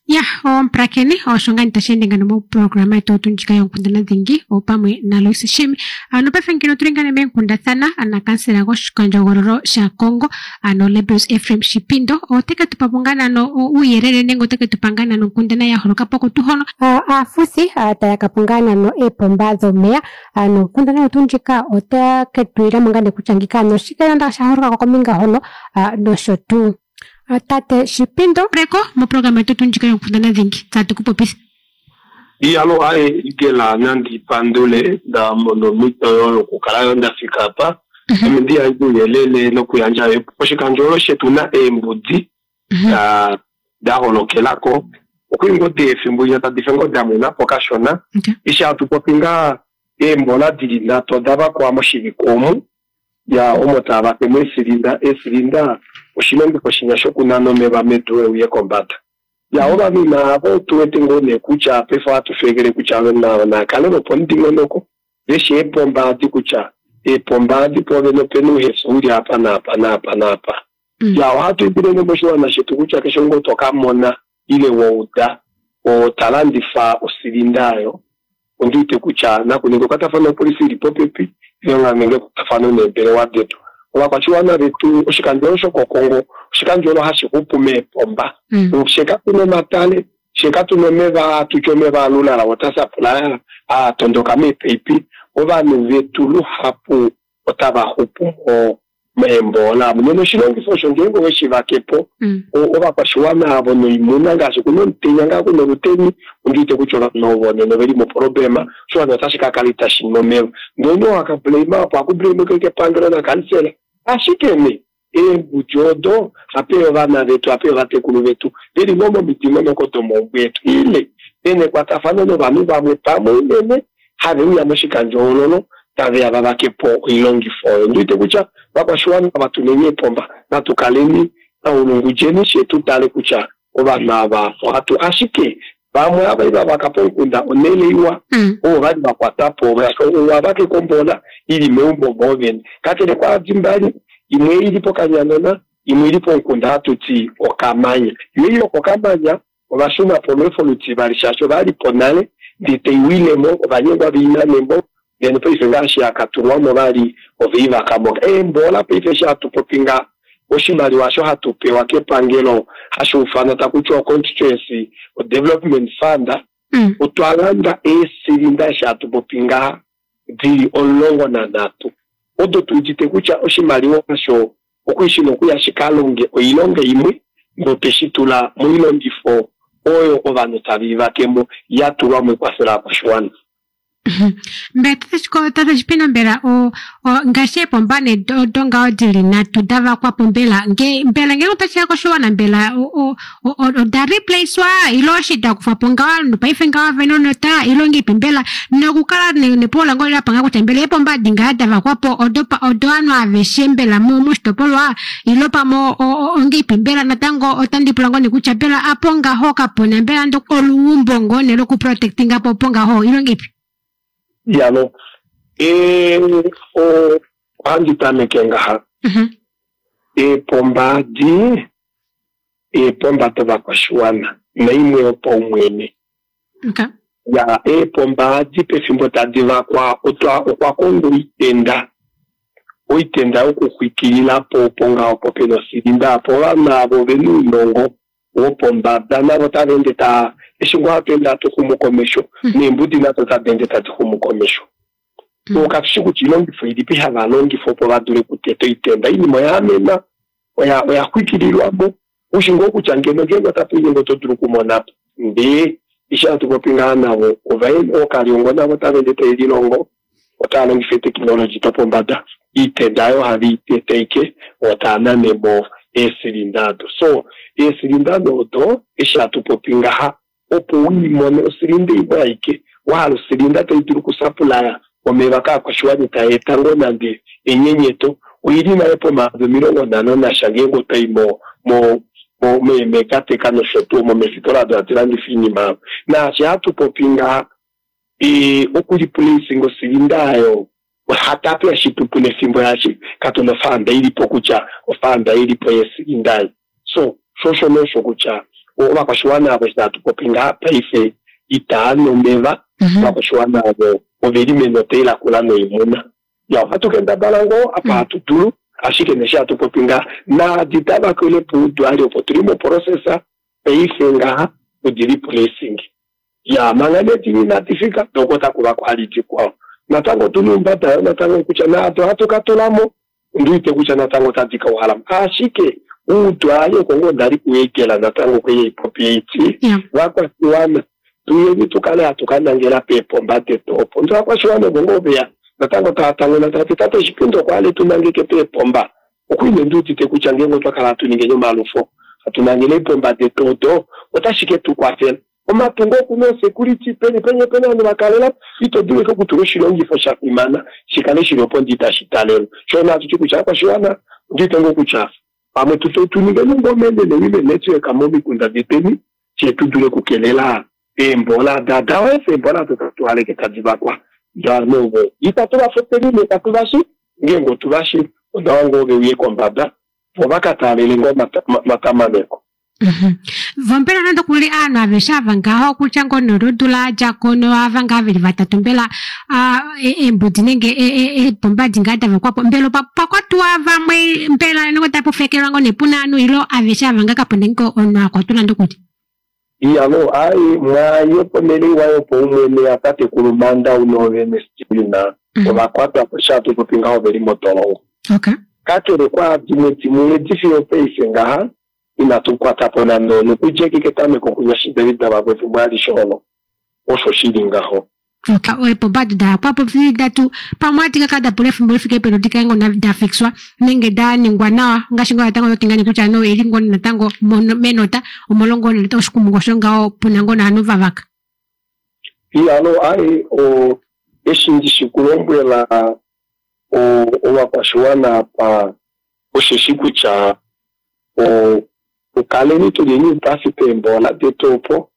Ya, omupulakeni osho ngaa tashi ende ngano moprograma yetu otu ndjika yoonkundana dhingi opamwe naLois Shimi. Ano paife ngeno otuli ngaa meenkundathana nakansela goshikandjohogololo shaKongo ano Lebbeus Ephraim Shipindo oteke tu pa po ngaa nano uuyelele nenge oteke tu pa ngaa nano onkundana ya holoka po kutu hono aafuthi taya ka po ngaa nano eepomba dhomeya. Ano onkundana yetu ndjika otake tu ilamo ngaa nee kutya ngika ano oshike nanda sha holoka ko kombinga hono nosho tuu. Tate Shipindo reko moprograma yetu tuu ndjika yonkundana dhingi tatu ku popitha. Iyalo aye igela nandi pandule nda mono omhito yokukala yo ndafika apa ame ndi yandje ouyelele nokuyandja oshikandjohogololo shetu na eembudi da holokelako okuli ngoo efimbo linya tadi fe ngoo damwena po kashona eshi hatu popi ngaa eembola dili nhatu oda vakwa moshivike omu ya omo tava pemo eesilinda eesilinda oshilongifo shinya shokunana omeva medu euye kombada ya ovanhu navo tuwete ngoo nee kutya paife ohatu feekele kutya navo nakale lopomudingonoko veshi eepomba adi kutya eepomba adi poovene opena ouhefu uli apa naapa naapa naapa ya ohatu indile moshiwana shetu kutya keshe ngoo tokamona ile wouda otalandifa osilinda ayo ondiwete kutya nakuninga ekwatafano lopolisi ili popepi ile nenge ekwatafano neembelewa detu ovakwashiwana vetu oshikandjolo shokokongo oshikandjolo hashi xupu meepomba she katuna omatale she katuna omeva hatutya omeva alulala water supply aatondoka meepaipi ovanhu vetu luhapu otava xupu meembola nena oshilongifo osho ngeenge oweshi vakepo ovakwashiwana avo noimuna ngaashi kuna omutenya ngaa kuna oluteni ondiwete kutya ovanhu ovo nena oveli moproblema oshiwana otashi kakala itashi nu omeva ndee wakablame opo akublame kepangelo nakansela ashike nee eembudi odo hape ovana vetu hape ovatekulu vetu veli ngoo momidingonoko domaumbo etu ile vena ekwatafano novanhu vamwe pamwe unene have uya moshikandjohoololo taveya vavakepo oilongifo oyo ndiwete kutya vakwashiwana vatuneni eepomba natukaleni naulungudjeni she tutale kutya ovanhu ava ohatu ashike vamwe ava ivavaka pomukunda onele iwa ovo vali vakwatapo ovavake kombola ili meumbo moovene kakele kwaadi mbali imwe ili pokanyanona imwe ili pomukunda hatuti okamanya yo ili okokamanya ovashuna po olweefo lutivali shaashi ovalipo nale ndee taiwilemo ovanyengwa veinanemo then paife ngaashi akatulwamo vali oveivakamo eembola paife eshi hatu popi nga oshimaliwa osho hatu pewa kepangelo hashi ufanwa takutiwa constituency development fund otwa landa eesilinda eshi hatu popi ngaha dili 13 odo tuudite kutya oshimaliwa osho okuishi nokuya shikalonge oilonga imwe notweshi tula moilongifo oyo ovanhu tava ivakemo yatulwa moikwafela yokwashiwana. Mbela tate Shipindo mbela ngaashi eepomba nee odo ngaho dili nhatu davakwapo mbela mbela ngenge otashiya koshiwana mbela oda replacewa ile oshi dakufwapo ngaho nopaife ngaho vene onota ile ongeipi mbela nokukala nepola ngoo lapanga kutya mbela eepomba adi ngaha davakwapo odo ovanhu aveshe mbela moshitopolwa ile pamwe ongeipi mbela natango otandi pula ngoo nee kutya mbela apo ngaho kapuna mbela ando oluumbo ngoo nee lokuprotectinga po opo ngaho ile ongeipi? Yalo ohandi tameke ngaha eepomba adi eepomba dovakwashiwana naimwe yopaumwene ya eepomba adi pefimbo tadi vakwa okwa kongwa oitenda oitenda yokuxwikililapo opo ngaho po pena osilinda apo ovanhu avo vena ounongo wopombada navo tava ende ta eshi ngoo hatu ende hatu xumu komesho neembudi nado tadi ende tadi xumu komesho katushi kutya oilongifo ilipi hava longifa opo vadule okuteta oitenda oinima oya amena oya xwikililwamo ushi ngoo kutya ngeno ngeenge otatu nyenge oto dulu okumonapo ndee eshi hatu popi ngaa navo ookaliongo navo tava ende tave lilongo otava longifa etekinoloji dopombada. Iitenda ayo ohave i tete ashike vo tava nane mo eesilinda odo. So, eesilinda nee odo eshi hatu popi ngaha opo u i mone osilinda imwe aike, wa hala osilinda tai dulu okusapulaya omeva kaakwashiwana itai eta ngoo nande enyenyeto, oi li nale pomayovi 50 nasha ngeenge oto i mo mo mo meeMegatech nosho tuu omo meefitola odo hadi landifa oinima oyo. Naashi hatu popi ngaha, okulipuleisinga osilinda oyo Ohatapu ya shitupula efimbo yaashi katuna ofaanda ilipo kutya ofaanda ilipo yeesilinda ei. So, sho osho nee osho kutya ovakwashiwana avo eshi hatu popi ngaha paife itaa nu omeva, ovakwashiwana avo oveli menota ilakula noimuna. Ya ohatu kendabala ngoo apa hatu dulu, ashike nee eshi hatu popi ngaha naadi tava kwele puudwali opo tuli moprocess paife ngaha odi li placing. Ya, manga nee dini inadi fika, doo otaku vakwa vali dikwao. Natango otu na oumbada yoo natango kutya naado hatu ka tula mo, ondi wete kutya natango otadi ka uhala mo. Ashike uudwali oko ngoo nda li kuEgela natango okwe ya ipopi eiti, Vakwashiwana, tu yeni tu kale hatu ka nangela peepomba detu opo. Ndele ovakwashiwana ovo ngoo ve ya natango tava tanguna tava ti, Tate Shipindo okwa hala e tu nangeke peepomba. Okwa ine ndi udite kutya ngeenge otwa kala hatu ningeni omalufo, hatu nangele eepomba detu odo, otashi ke tu kwafela. Omatungo oku na osekuriti, peni peni ope na ovanhu va kalela po. Ito dulu ashike okutula oshilongifo sha fimana shi kale shi li opo ndee itashi talelwa. Sho osho hatu ti kutya ovakwashiwana, ondi wete ngoo kutya pamwe tu tu ningeni ngoo omenene women network momikunda detweni, fye tu dule okukelela eembola da dawefa, eembola odo tatu haleke tadi vakwa. Ndee ovanhu ovo itatu va futeni nee katu va shi, ngeenge otu va shi onawa ngoo ve uye kombada vo va ka taalele ngoo omatamaneko. Vo mbela nande okuli aanhu aveshe ava ngaho okutya ngoo nee olodula a dja ko noava ngaa veli vatatu mbela eembudi nenge eepomba edi ngaa da vakwa po mbela opa kwatwa vamwe mbela nenge otapu fekelwa ngoo nee puna ovanhu ile aveshe ava ngaa kapuna nge omunhu a kwatwa nande okuli? Iyaloo, aaye, mwaaye ponhele iwa yopaumwene yatatekulu Manda Unoovene Steven ova kwatwa po eshi hatu popi ngaho oveli modolongo. Kakele kwaadimwe dimwe edi fiyo opaife ngaha inatu kwata po nande omunhu kudja eke ketameko kunya eshi David va efimbo alishe olo. Osho shi li ngaho. Eepomba odo da yakwa po di datu pamwe ohadi ka kala da pula efimbo li fike peni di kale ngoo da fixwa nenge da ningwa nawa ngaashi ngoo natango oto ti ngoo kutya no oili ngoo natango menota omolwo ngoo oshikumungu osho ngaho puna ngoo novanhu va vaka. Iyalo, aaye, eshi ndi shi ku lombwela ovakwashiwana apa osheshi kutya okaleni tu leni oupafi peemboola detu opo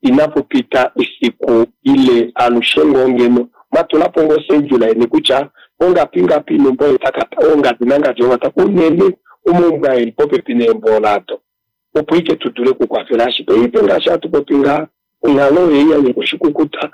inapu pita efiku ile alushe ngoo ngeno mwa tula po ngoo oschedule yeni kutya ongapi ngapi numba oye ta ka ongadi nangadi ova ta unene omaumbo aa eli popepi neemboola ado opo ike tu dule okukwafela ashike paife ngaashi hatu popi ngaha onghalo oyo ei ya nyika oshikukuta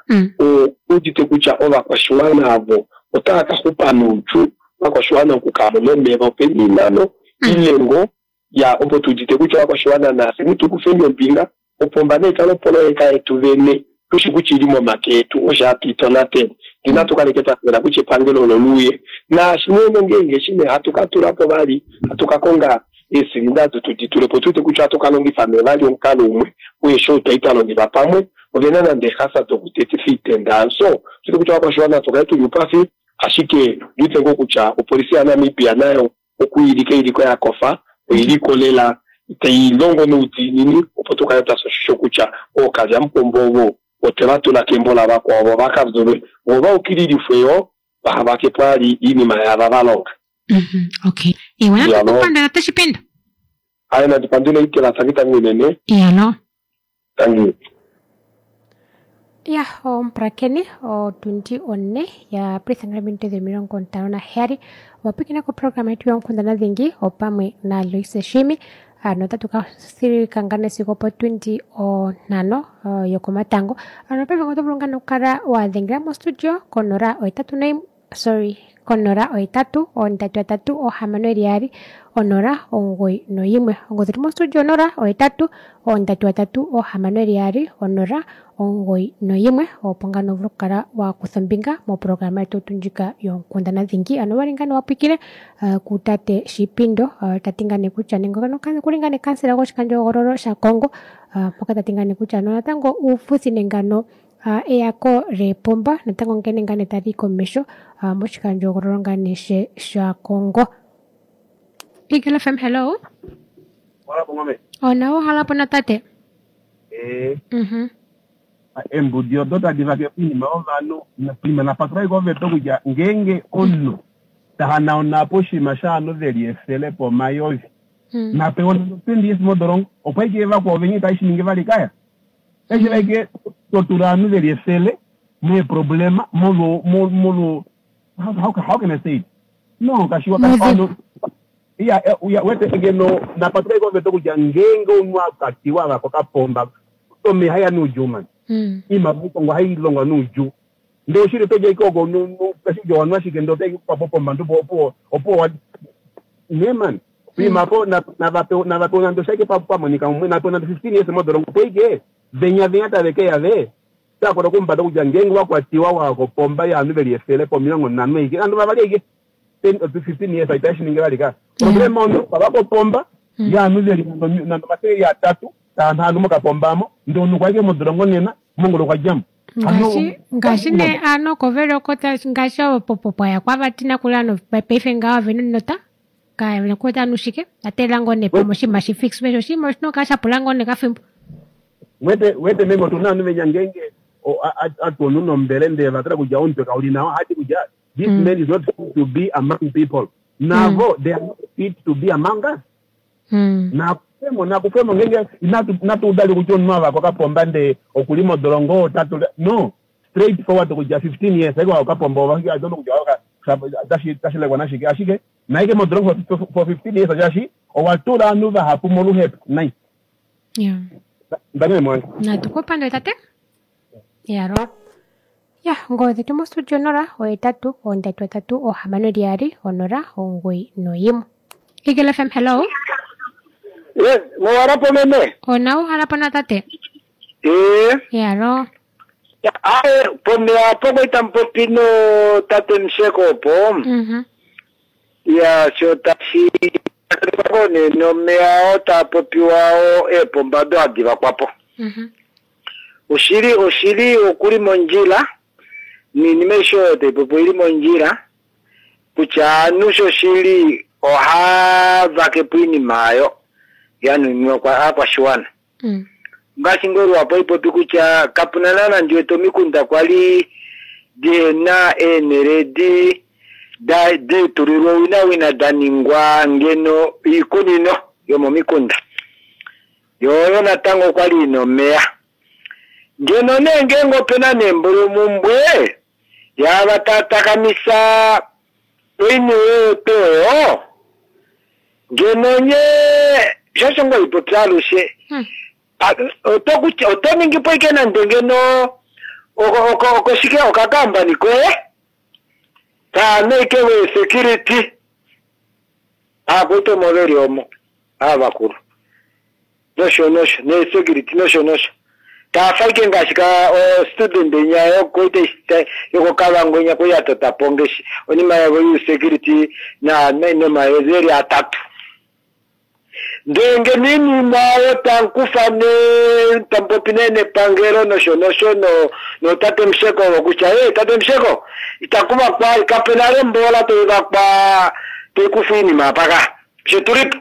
udite kutya ovakwashiwana avo otava ka xupa noudjuu ovakwashiwana oku ka mona omeva opena oinano ile ngoo ya opo tu udite kutya ovakwashiwana nafye tu kufeni ombinga opomba naikale opoloyeka yetu vene tushi kutya ili momake etu osho hatu itonatele inatu kaleke twa teelela kutya epangelo olo luuye naashi nee ngeenge eshi nee hatu ka tula po vali hatu ka konga eesilinda ado tudi tule po tu wete kutya ohatu ka longifa nee vali omukalo umwe weeshi ou twali twa longifa pamwe ovena nande eehasa dokutetifa oitenda so tu wete kutya ovakwashiwana natu kale tuli oupafi ashike ondi wete ngoo kutya opolifi yaNamibia nayo okuilika iliko ya kofa oiliko lela tai longo noudiinini opo tu kale twa fya oshisho kutya ookalyamupombo ovo otwe va tula kembo lavakwao vo va ka vyulwe vo va ukililifwe yoo vaha vake po vali oinima yaava va longa. Okay. Ewa, natu ku pandula tate Shipendo. Aye, nandi pandule Ikela, tangi tangi unene. Iyalo. Tangi. Ya, omupulakeni, otundi one ya pulitha ominute 57 owa pwiikina koprograma yetu yoonkundana dhingi opamwe naLoise Shiimi. Ano otatu ka thika ngaa sigo opotundi 5 yokomatango. Ano paife oto vulu ngaa okukala wa dhengela mostudio konola ohetatu noyimwe sorry konola ohetatu ondatu yatatu ohamano yeli yaali onola omugoyi noyimwe. Ongodhi yetu mostudio 0 8 3 3 6 2 0 9 1 opo ngaa vulu okukala wa kutha ombinga moprograma yetu ndjika yoonkundana dhingi. Ano owali ngaa nee wa pwiikine kutate Shipindo ta ti ngaa nee kutya nenge okuli ngaa nee kansela goshikandjohogololo shaKongo mpoka ta ti ngaa nee kutya natango uufuthi nenge ano. Eyako leepomba natango nghene ngaa nee tali komesho moshikandjohoogololo ngaa nee shaKongo. Eagle FM, hello. Onawa halapo na tate. Embudi odo tadi vake oinima yovanhu prima napatula koveta kutya ngeenge omunhu tahanauna po oshinima shaanhu veli efele po omayovi napewa nande 20 years modolongo opo aike vakwao venye itashi shi ningi vali kaya eshi like totula ovanhu veli efele meeproblema molo how can I say it no kashiwa kashiwa iya wete ngeno napatula koveta kutya ngeenge omunhu akatiwa vakokapomba omeya haya nuudjuu mani iimaliwa ikongo hailongwa nuudjuu ndee oshili todja ike oko kashidja wanwa ashike ndee otaikupapo pombandu opo nee mani iimapo navapewa nande oshaike pamonika mumwe napewa nande 15 years modolongo opo ike venya venya tave keya ve takola kumbada kutya ngeenge wakwatiwa wakopomba yaanhu veli efele po 50 ike andu vavali ike 10 15 years itashi ningi vali ka problema ono vavakopomba yaanhu veli nande 300 taanhu mokapombamo ndee omunhu kwaike modolongo nena mongolo kwajamo ngaashi ne ano kovele okota ngaashi opopopoya kwavatina kula ano paife ngawo venonota kaevena kuweta anu shike atelela ngoo nee pamwe oshinima shi fix vesho oshinima oshina okukala shapula ngoo nee kafimbo. Wete meme otuna ovanhu venya ngeenge atuonu nombele ndee vatala kutya omutwe kauli nawa hati kutya this man is not fit to be among people navo they are not fit to be among us. Nakufemo ngeenge inatu udali kutya omunhu avakwa kapomba ndee okuli modolongo tatu no straight forward kutya 15 years aike wakapomba I don't know kutya tashilekwa nashike ashike naike modolongo for 15 years shaashi owatula ovanhu vahapu moluhepo nai. Ndamene mwange natukupandule tate yaro ya ngozi dhetu mostudio 0 8 3 3 6 2 0 9 1. Eagle FM, hello. Yes, mowarapo meme. Ona uhalapo na tate. Yaro. Ae, pomeya apo koita mupopi no tate Musheko opo. Ya, sho tashi ne nomeya oo taa popiwa oo eepomba do hadi vakwapo. Oshili okuli mondjila niinima aishe oyo taipopi oili mondjila kutya aanhu shoshili ohavakepo iinima ayo yanuninwa aakwashiwana. Ngaashi ngoo lwapo ipopi kutya kapuna naana ndiwete omikunda kwali dihena eenhele diitulilwa owinawina daningwa ngeno iikunino yomomikunda yoyo natango kwali ina omeya ngeno nee ngeenge opena neembulumumbwe yava tatakamisa oiniwe yotoyo ngeno nye shosho ngoo ipopi alushe oto ningipo ike nande ngeno okoshike okakambani koye taano ike we security aakwita omo veli omo aavakulu nosho nosho ne security nosho nosho taafa ike ngaashi ka student nya yokoita yokokavango nya kuyatotapo ngeshi onima yavo yusecurity na nomayezi eli atatu ndenge ninima oyo tankufa ne tampopi ne nepangelo nosho nosho no tate Musheko kutya e tate Musheko itakuvakwa kapena lembola toivakwa toikufa iinima apaka shetulipo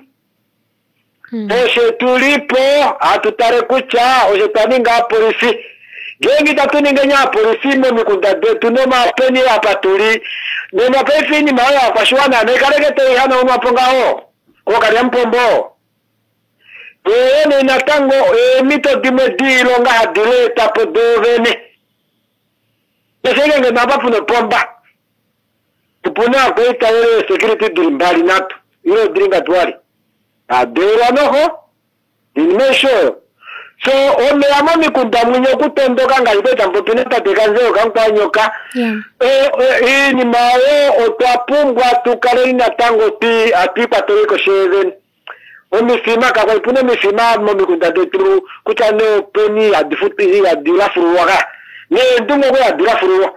oshetulipo hatutale kutya osho twaninga apolisi ngeenge itatu ninge apolisi momikunda detu nomapeni apa tuli nena paife iinima oyo akwashiwana naikaleke toihanaunwapo ngaho kokalya mupombo. Ene natango eemito dimwe diilonga hadi leetapo doovene esengenge napa puna opomba tupuna akwaita ele security dili mbali natu ilo dili ngatuwali adeelwa noho inima esho so omeya momikunda mwinye okutondoka ngaashi kweta mupopi natate Kanzeo kankwanyoka iinima oyo otwa pumbwa tukaleni natango atwiikwateleko sheevene omifima kakwa ipuna omifima momikunda detu kutya neopeni hadilafululwa neendungu oko hadilafululwa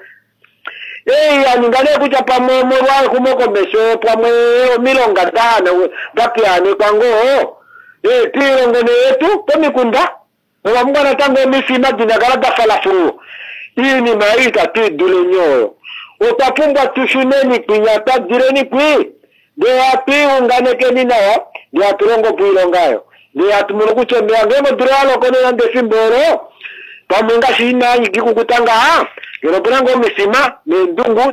yaninga nee kutya pamwe molwa exumokomesho pamwe omilonga dapiyaanekwa ngoo piilongo neyetu pomikunda ovapumbwa natango omifima dinakala dafalafululwa. Iinima ei itatu i duleni oyo. Otwa pumbwa tu shuneni kwinya twa dileni kwi, ndee hatu i unganekeni nawa, ndee hatu longo po oilonga oyo. Ndee hatu mono kutya omeya ngeenge odula ya loko nee nande efimbo olo, pamwe ngaashi ina ikukuta ngaha, ngeno opena ngoo omifima neendungu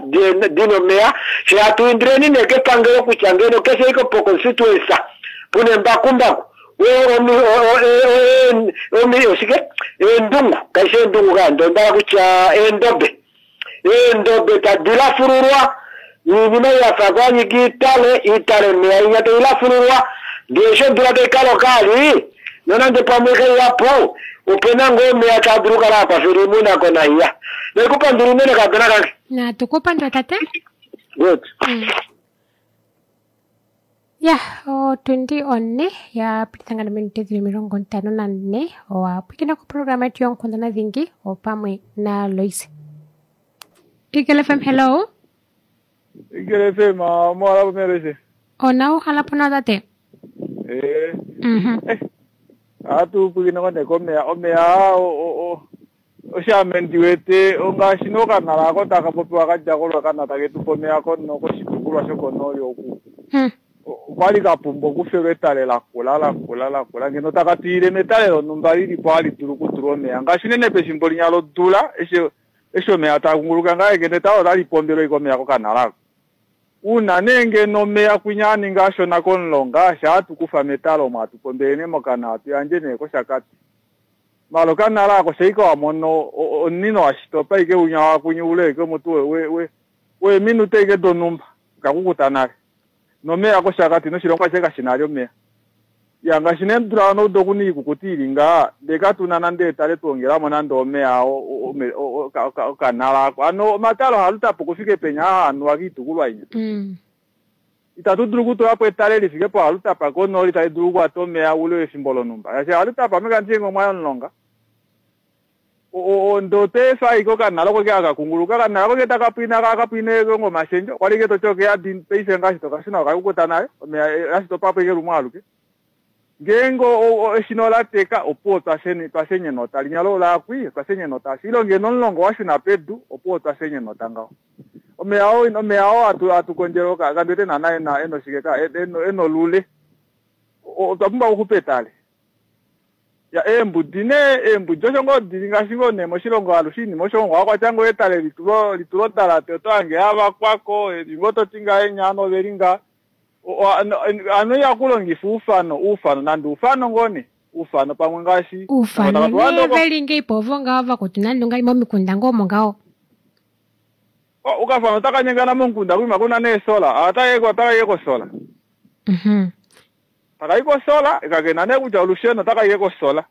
dina omeya, fye hatu indileni nee kepangelo kutya ngeno keshe ike po constituency puna embakumbaku, oshike eendungu, kaishi eendungu kaa, ndee onda hala kutya eendobe. Eendobe tadi lafululwa, noinima ei ya fa kwanyika iitale, iitale omeya inya tai lafululwa, ndee eshi odula tai ka loka ali, nonande pamwe kaihapu, opena ngoo omeya taa dulu okukala a kwafela oimuna konahiya. Naikupandula unene kaadona kange. Natu ku pandula tate. Good. Ya, otundi one ya pititha nga nominute dhili 54 owa pwikina koprograma yetu yonkundana dhingi opamwe na Loise. Eagle FM, hello. Eagle FM, moala pomelese. Ona uhala po nawa tate. Eh. Ohatu pwikine ko nee komeya, omeya aa osho ame ndi wete ongaashi nee okanala ako taka popiwa ka dja koRuacana take tu pe omeya koshitukulwa shokonooli oku. Okwali ka pumbwa okufelwa etale lakula lakula lakula ngeno taka twiyile metale lonhumba lilipo hali dulu okutulwa omeya ngaashi unene pefimbo linya lodula eshi eshi omeya taa kunguluka ngaha ngeno etale otali pombelwa ashike omeya kokanala ako. Uuna nee ngeno omeya kwinya a ninga ashona komulonga shaa hatu kufa metale omo hatu pombele nee mokana hatu yandje nee kOshakati. Maala okanala ako shaike wa mono omunino wa shitopa ashike winya wakwinya oule ashike mutu weeminute ashike donhumba okakukuta nale. Nomeya kOshakati noshilongo ashishe kashi na ali omeya. Ya ngaashi nee odula yonoudo okuna oikukuta ili ngaha ndee katuna nande etale twongelamo nande omeya okanala ako. Hano omatale ohalutapo okufika penya aa hanuwa koitukulwa inya. Itatu dulu okutulapo etale lifike pohalutapa konooli tali dulu okukwata omeya oule wefimbo lonhumba. Shaashi halutapa ame kandi shii ngee omwa ya omulonga. Ndee otwa efa ashike okanala oko ke kakunguluka, okanala oko ke taka pwina kakapwine ngomashendjo, okwali ashike toti okeyadi paife ngaashi tokashuna okakukuta nale, omeya ashitopapo ashike lumwe aluke. Ngeenge eshina ola teka opuwo twafya enota, linya lolakwi otwafya enota. Ile ngeno omulonga owashuna pedu opuwo otwafya enota ngaho. Omeya oo omeya oo hatu kondjele kandi wete naana ena oshike ka ena olule. Otwa pumbwa okuxupa etale. Ya eembudi nee eembudi osho ngoo dili ngaashi ngoo nee moshilongo alushe oinima osho ngoo kwatya ngoo etale litulwa odalate oto hange yavakwako ngoo toti ngahenya ovanhu oveli nga hano ihakulongifa oufano oufano nande oufano ngoo nee oufano pamwe ngaashi Oufano nee veli ngei po ovo ngaho vakutu nande ungali momikunda ngoo omo ngaho. Okafano otaka nyengana momukunda kuima kuna neesola otakaike kosola. Takayi kosola kakena nee kutya olusheno otakaike kosola.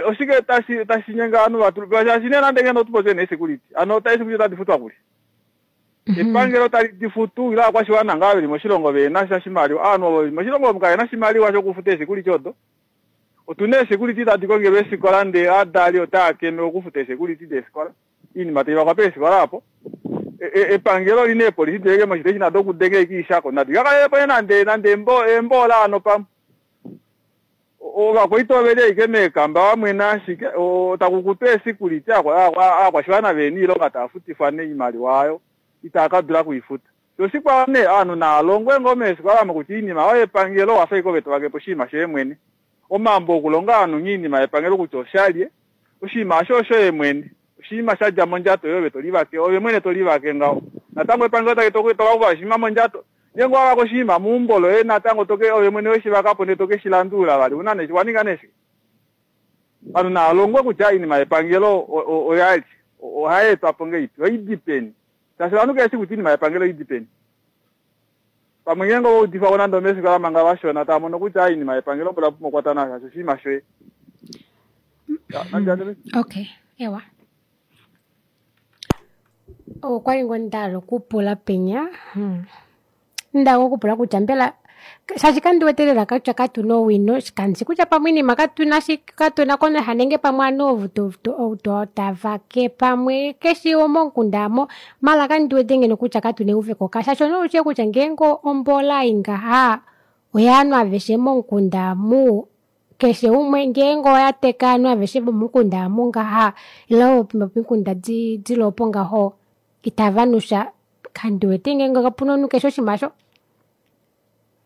Oshike tashi tashi nyenga ovanhu vatu shaashi nee nande ngeno otupopye nee security hano eesecurity otadi futwa kuli. Epangelo tali di futu ile ovakwashiwana ngaa veli moshilongo vehena sha shimaliwa. Ovanhu ovo veli moshilongo omu kavena oshimaliwa shokufuta eesecurity odo. Otuna eesecurity tadi kongelwa eefikola ndee ovadali otava keme okufuta eesecurity deefikola. Oinima taivakwa peefikola opo. Epangelo olina eepolisi dileke moshiteshi nado okudenga ashike oishako nadi kakalelepo nee nande nande eemboola hano pamwe. Ovakwaita oveli ashike meekamba vamwena ashike takukutwa eesecurity ovakwashiwana vehena oilonga tava futifwa nee oimaliwa aayo itava kadula okuifuta. Shoo oshikwao nee ovanhu naalongwe ngoo meefikola omo kutya oinima oyo yepangelo owafa ashike ove tovakepo oshinima shoye mwene. Omambo okulonga ovanhu nghee oinima yepangelo kutya oshalye, oshinima osho oshoye mwene. Oshinima shadja mondjato yoye ove tolivake ove mwene tolivake ngaho. Natango epangelo tali tokakufa oshinima mondjato. Ngeenge owavaka oshinima meumbo loye natango toke ove mwene weshivakapo ndee tokeshilandulula vali una nee waninga nee shike. Ovanhu naalongwe kutya oinima yepangelo oyalye, ohayeetwapo ngahelipi, oidi peni. Shaashi ovanhu keveshi kutya oinima yepangelo oidi peni. Pamwe ngeenge ova udifwako nande omeefikola manga vashona tava mono kutya oinima yepangelo mboli owa pumbwa okukwata nayo shaashi oshinima shoye. Okay, ewa. Okwali ngoo ndahala okupula penya ndahala okupula kutya mbela shaashi kandi wete lela kutya katuna owino kandishi kutya pamwe oinima katuna katuna konaha nenge pamwe ovanhu ovo tavake pamwe keshe momukunda aamo maala kandi wete ngeno kutya katuna euveko shaashi ounaushili kutya ngeenge ombola ei ngaha oyaanhu aveshe momukunda aamu. Keshe umwe ngeenge oya teka ovanhu aveshe vomukunda amu ngaha ile vomikunda dili opo ngaho itava nusha kandiwete ngeenge opuna omunhu keshe oshiima aasho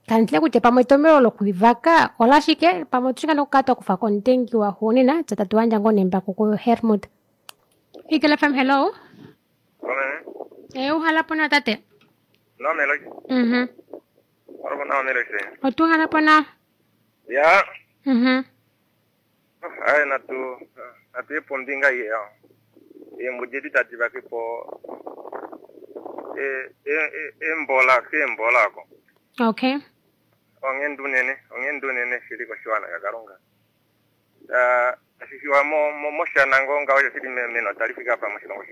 kanditye kutya pamwe etomeno lokuivaka olashike pamwe otushi ngoo okukala twakufako omutengi waxuunina fyee tatu yandja ngoo nee embako ku Hermut. Eagle FM hello. Uhala po nawa tate. Otuhala po nawa. Ya. Aye natu natu pombinga ye eembudi edi tadi vake po embola keembola ako. Okay. Onghenda unene, onghenda unene shili koshiwana shaKalunga. Tashi fiwa moshana ngoo ngaho osho shili menota li fika apa moshilongo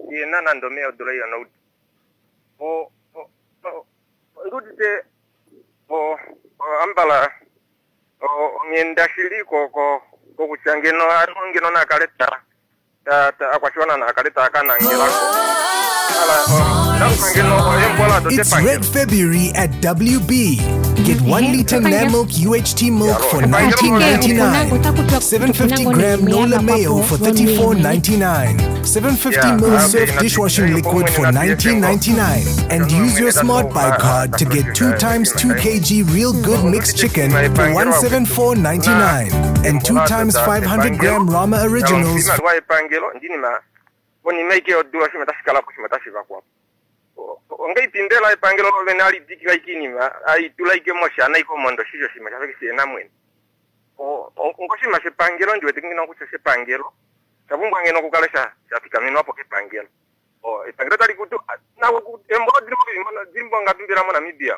shihena nande omeya odula iyona ondiudite ambala onghenda shili kokutya ngeno ngeno nakale akwashiwana nakale taakanangelako. It's Red February at WB. Get 1 liter Namilk UHT milk for $19.99, 750 gram Nola mayo for $34.99, 750 ml Surf dishwashing liquid for $19.99, and use your Smart Buy card to get 2 times 2 kg Real Good mixed chicken for $174.99 and 2 times 500 gram Rama Originals. Ongeipindela epangelo lovene alidikila ikinima aitula ike moshana iko mondo shijo shima shafeke shena mwene ongoshima shepangelo ndiwete ngino kutya shepangelo shapumbwa ngeno kukala shafikamenwapo kepangelo epangelo tali kutu embola dilimbo ngatumbila mo Namibia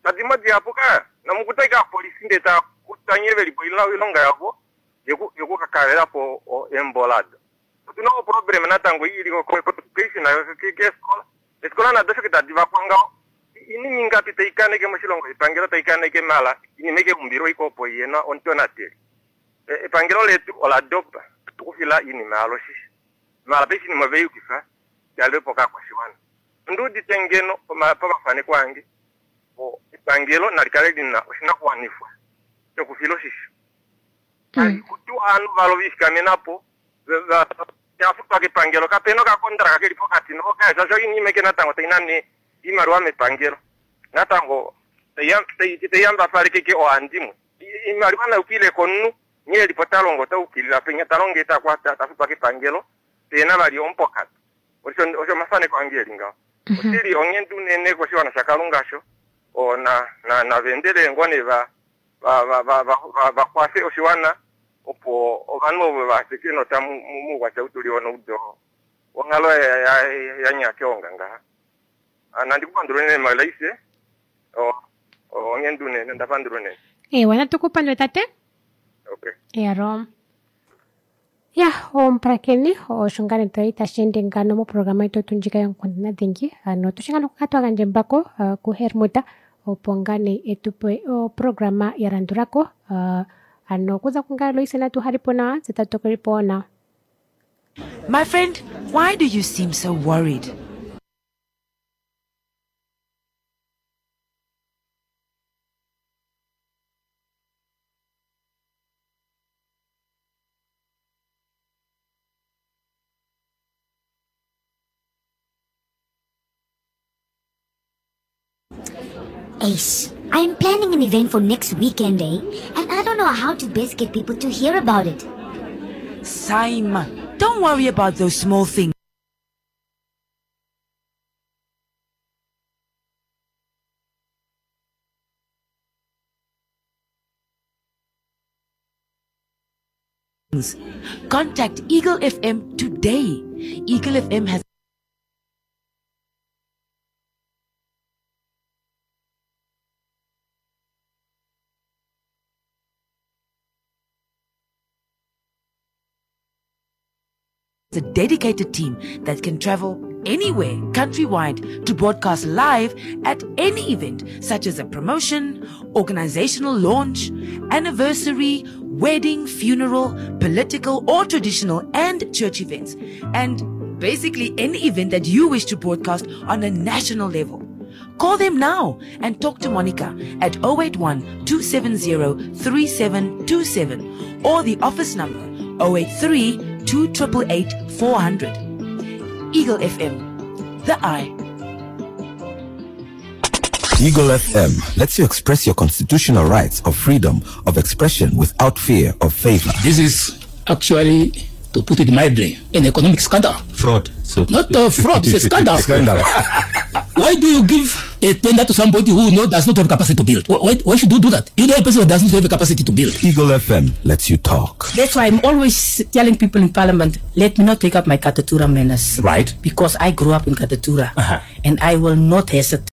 tadimo dihapuka namukuta ika polisi ndeta kutanyevelipo ilonga yavo yekukakalelapo embolado. Otuna oproblem natango ili keishina keskola esikola nado shoke tadi vakwanga inini ingapi taikaneke moshilongo epangelo taikaneke mala inima ike umbilwa iko opo yena ontonateli epangelo letu oladopa tukufila inima yalo shishi mala paife inima veyukifa yalepo kakwashiwana ondiudite ngeno pamafaneko ange epangelo nalikale lina oshinakuwanifwa shokufila oshisho kutu ovanhu valo vifikamenapo yafutwa kepangelo kapena okakontraka keli pokati nokashasho inima ike natango tainane iimaliwa mepangelo natango taiyambapalekeke ohandimwe iimaliwa naukile komunhu nghee elipo talongo taukilila penya talongo tafutwa kepangelo pena vali omupokati osho omafaneko ange eli ngaho oshili onghenda unene koshiwana shaKalunga sho navendele ngoo nee vakwase oshiwana opo ovanhu ovo vaseke nota muukwatya utuliwa noudo onghalo yanyakeonga ngaha nandikupandula unene Malaise onghenda unene ndapandula unene. Ewa natukupandule tate. Okay. Ero. Ya omupulakeni osho ngaa nee twali tashi ende ngano moprograma yetu ndjika yonkundana dhingi ano otushi ngaa nokukala twagandja embako ku Hermuta opo ngaa nee etupe oprograma ya landulako ano okuza kungaye Loise natu halipo nawa tse tatu tokelipo nawa. My friend, why do you seem so worried? Ace, I'm planning an event for next weekend, eh? And I don't know how to best get people to hear about it. Saima, don't worry about those small things. Contact Eagle FM today. Eagle FM has a dedicated team that can travel anywhere countrywide to broadcast live at any event such as a promotion, organizational launch, anniversary, wedding, funeral, political or traditional and church events, and basically any event that you wish to broadcast on a national level. Call them now and talk to Monica at 081 270 3727 or the office number 083 2888 400. Eagle FM, the eye. Eagle FM lets you express your constitutional rights of freedom of expression without fear of favor. This is actually, to put it mildly, an economic scandal. Fraud. So Not a fraud, it's a scandal. Scandal. Why do you give a tender to somebody who does not have capacity to build? Why should you do that? You know a person who does not have the capacity to build. Eagle FM lets you talk. That's why I'm always telling people in Parliament, let me not take up my Katutura manners. Right. Because I grew up in Katutura. And I will not hesitate.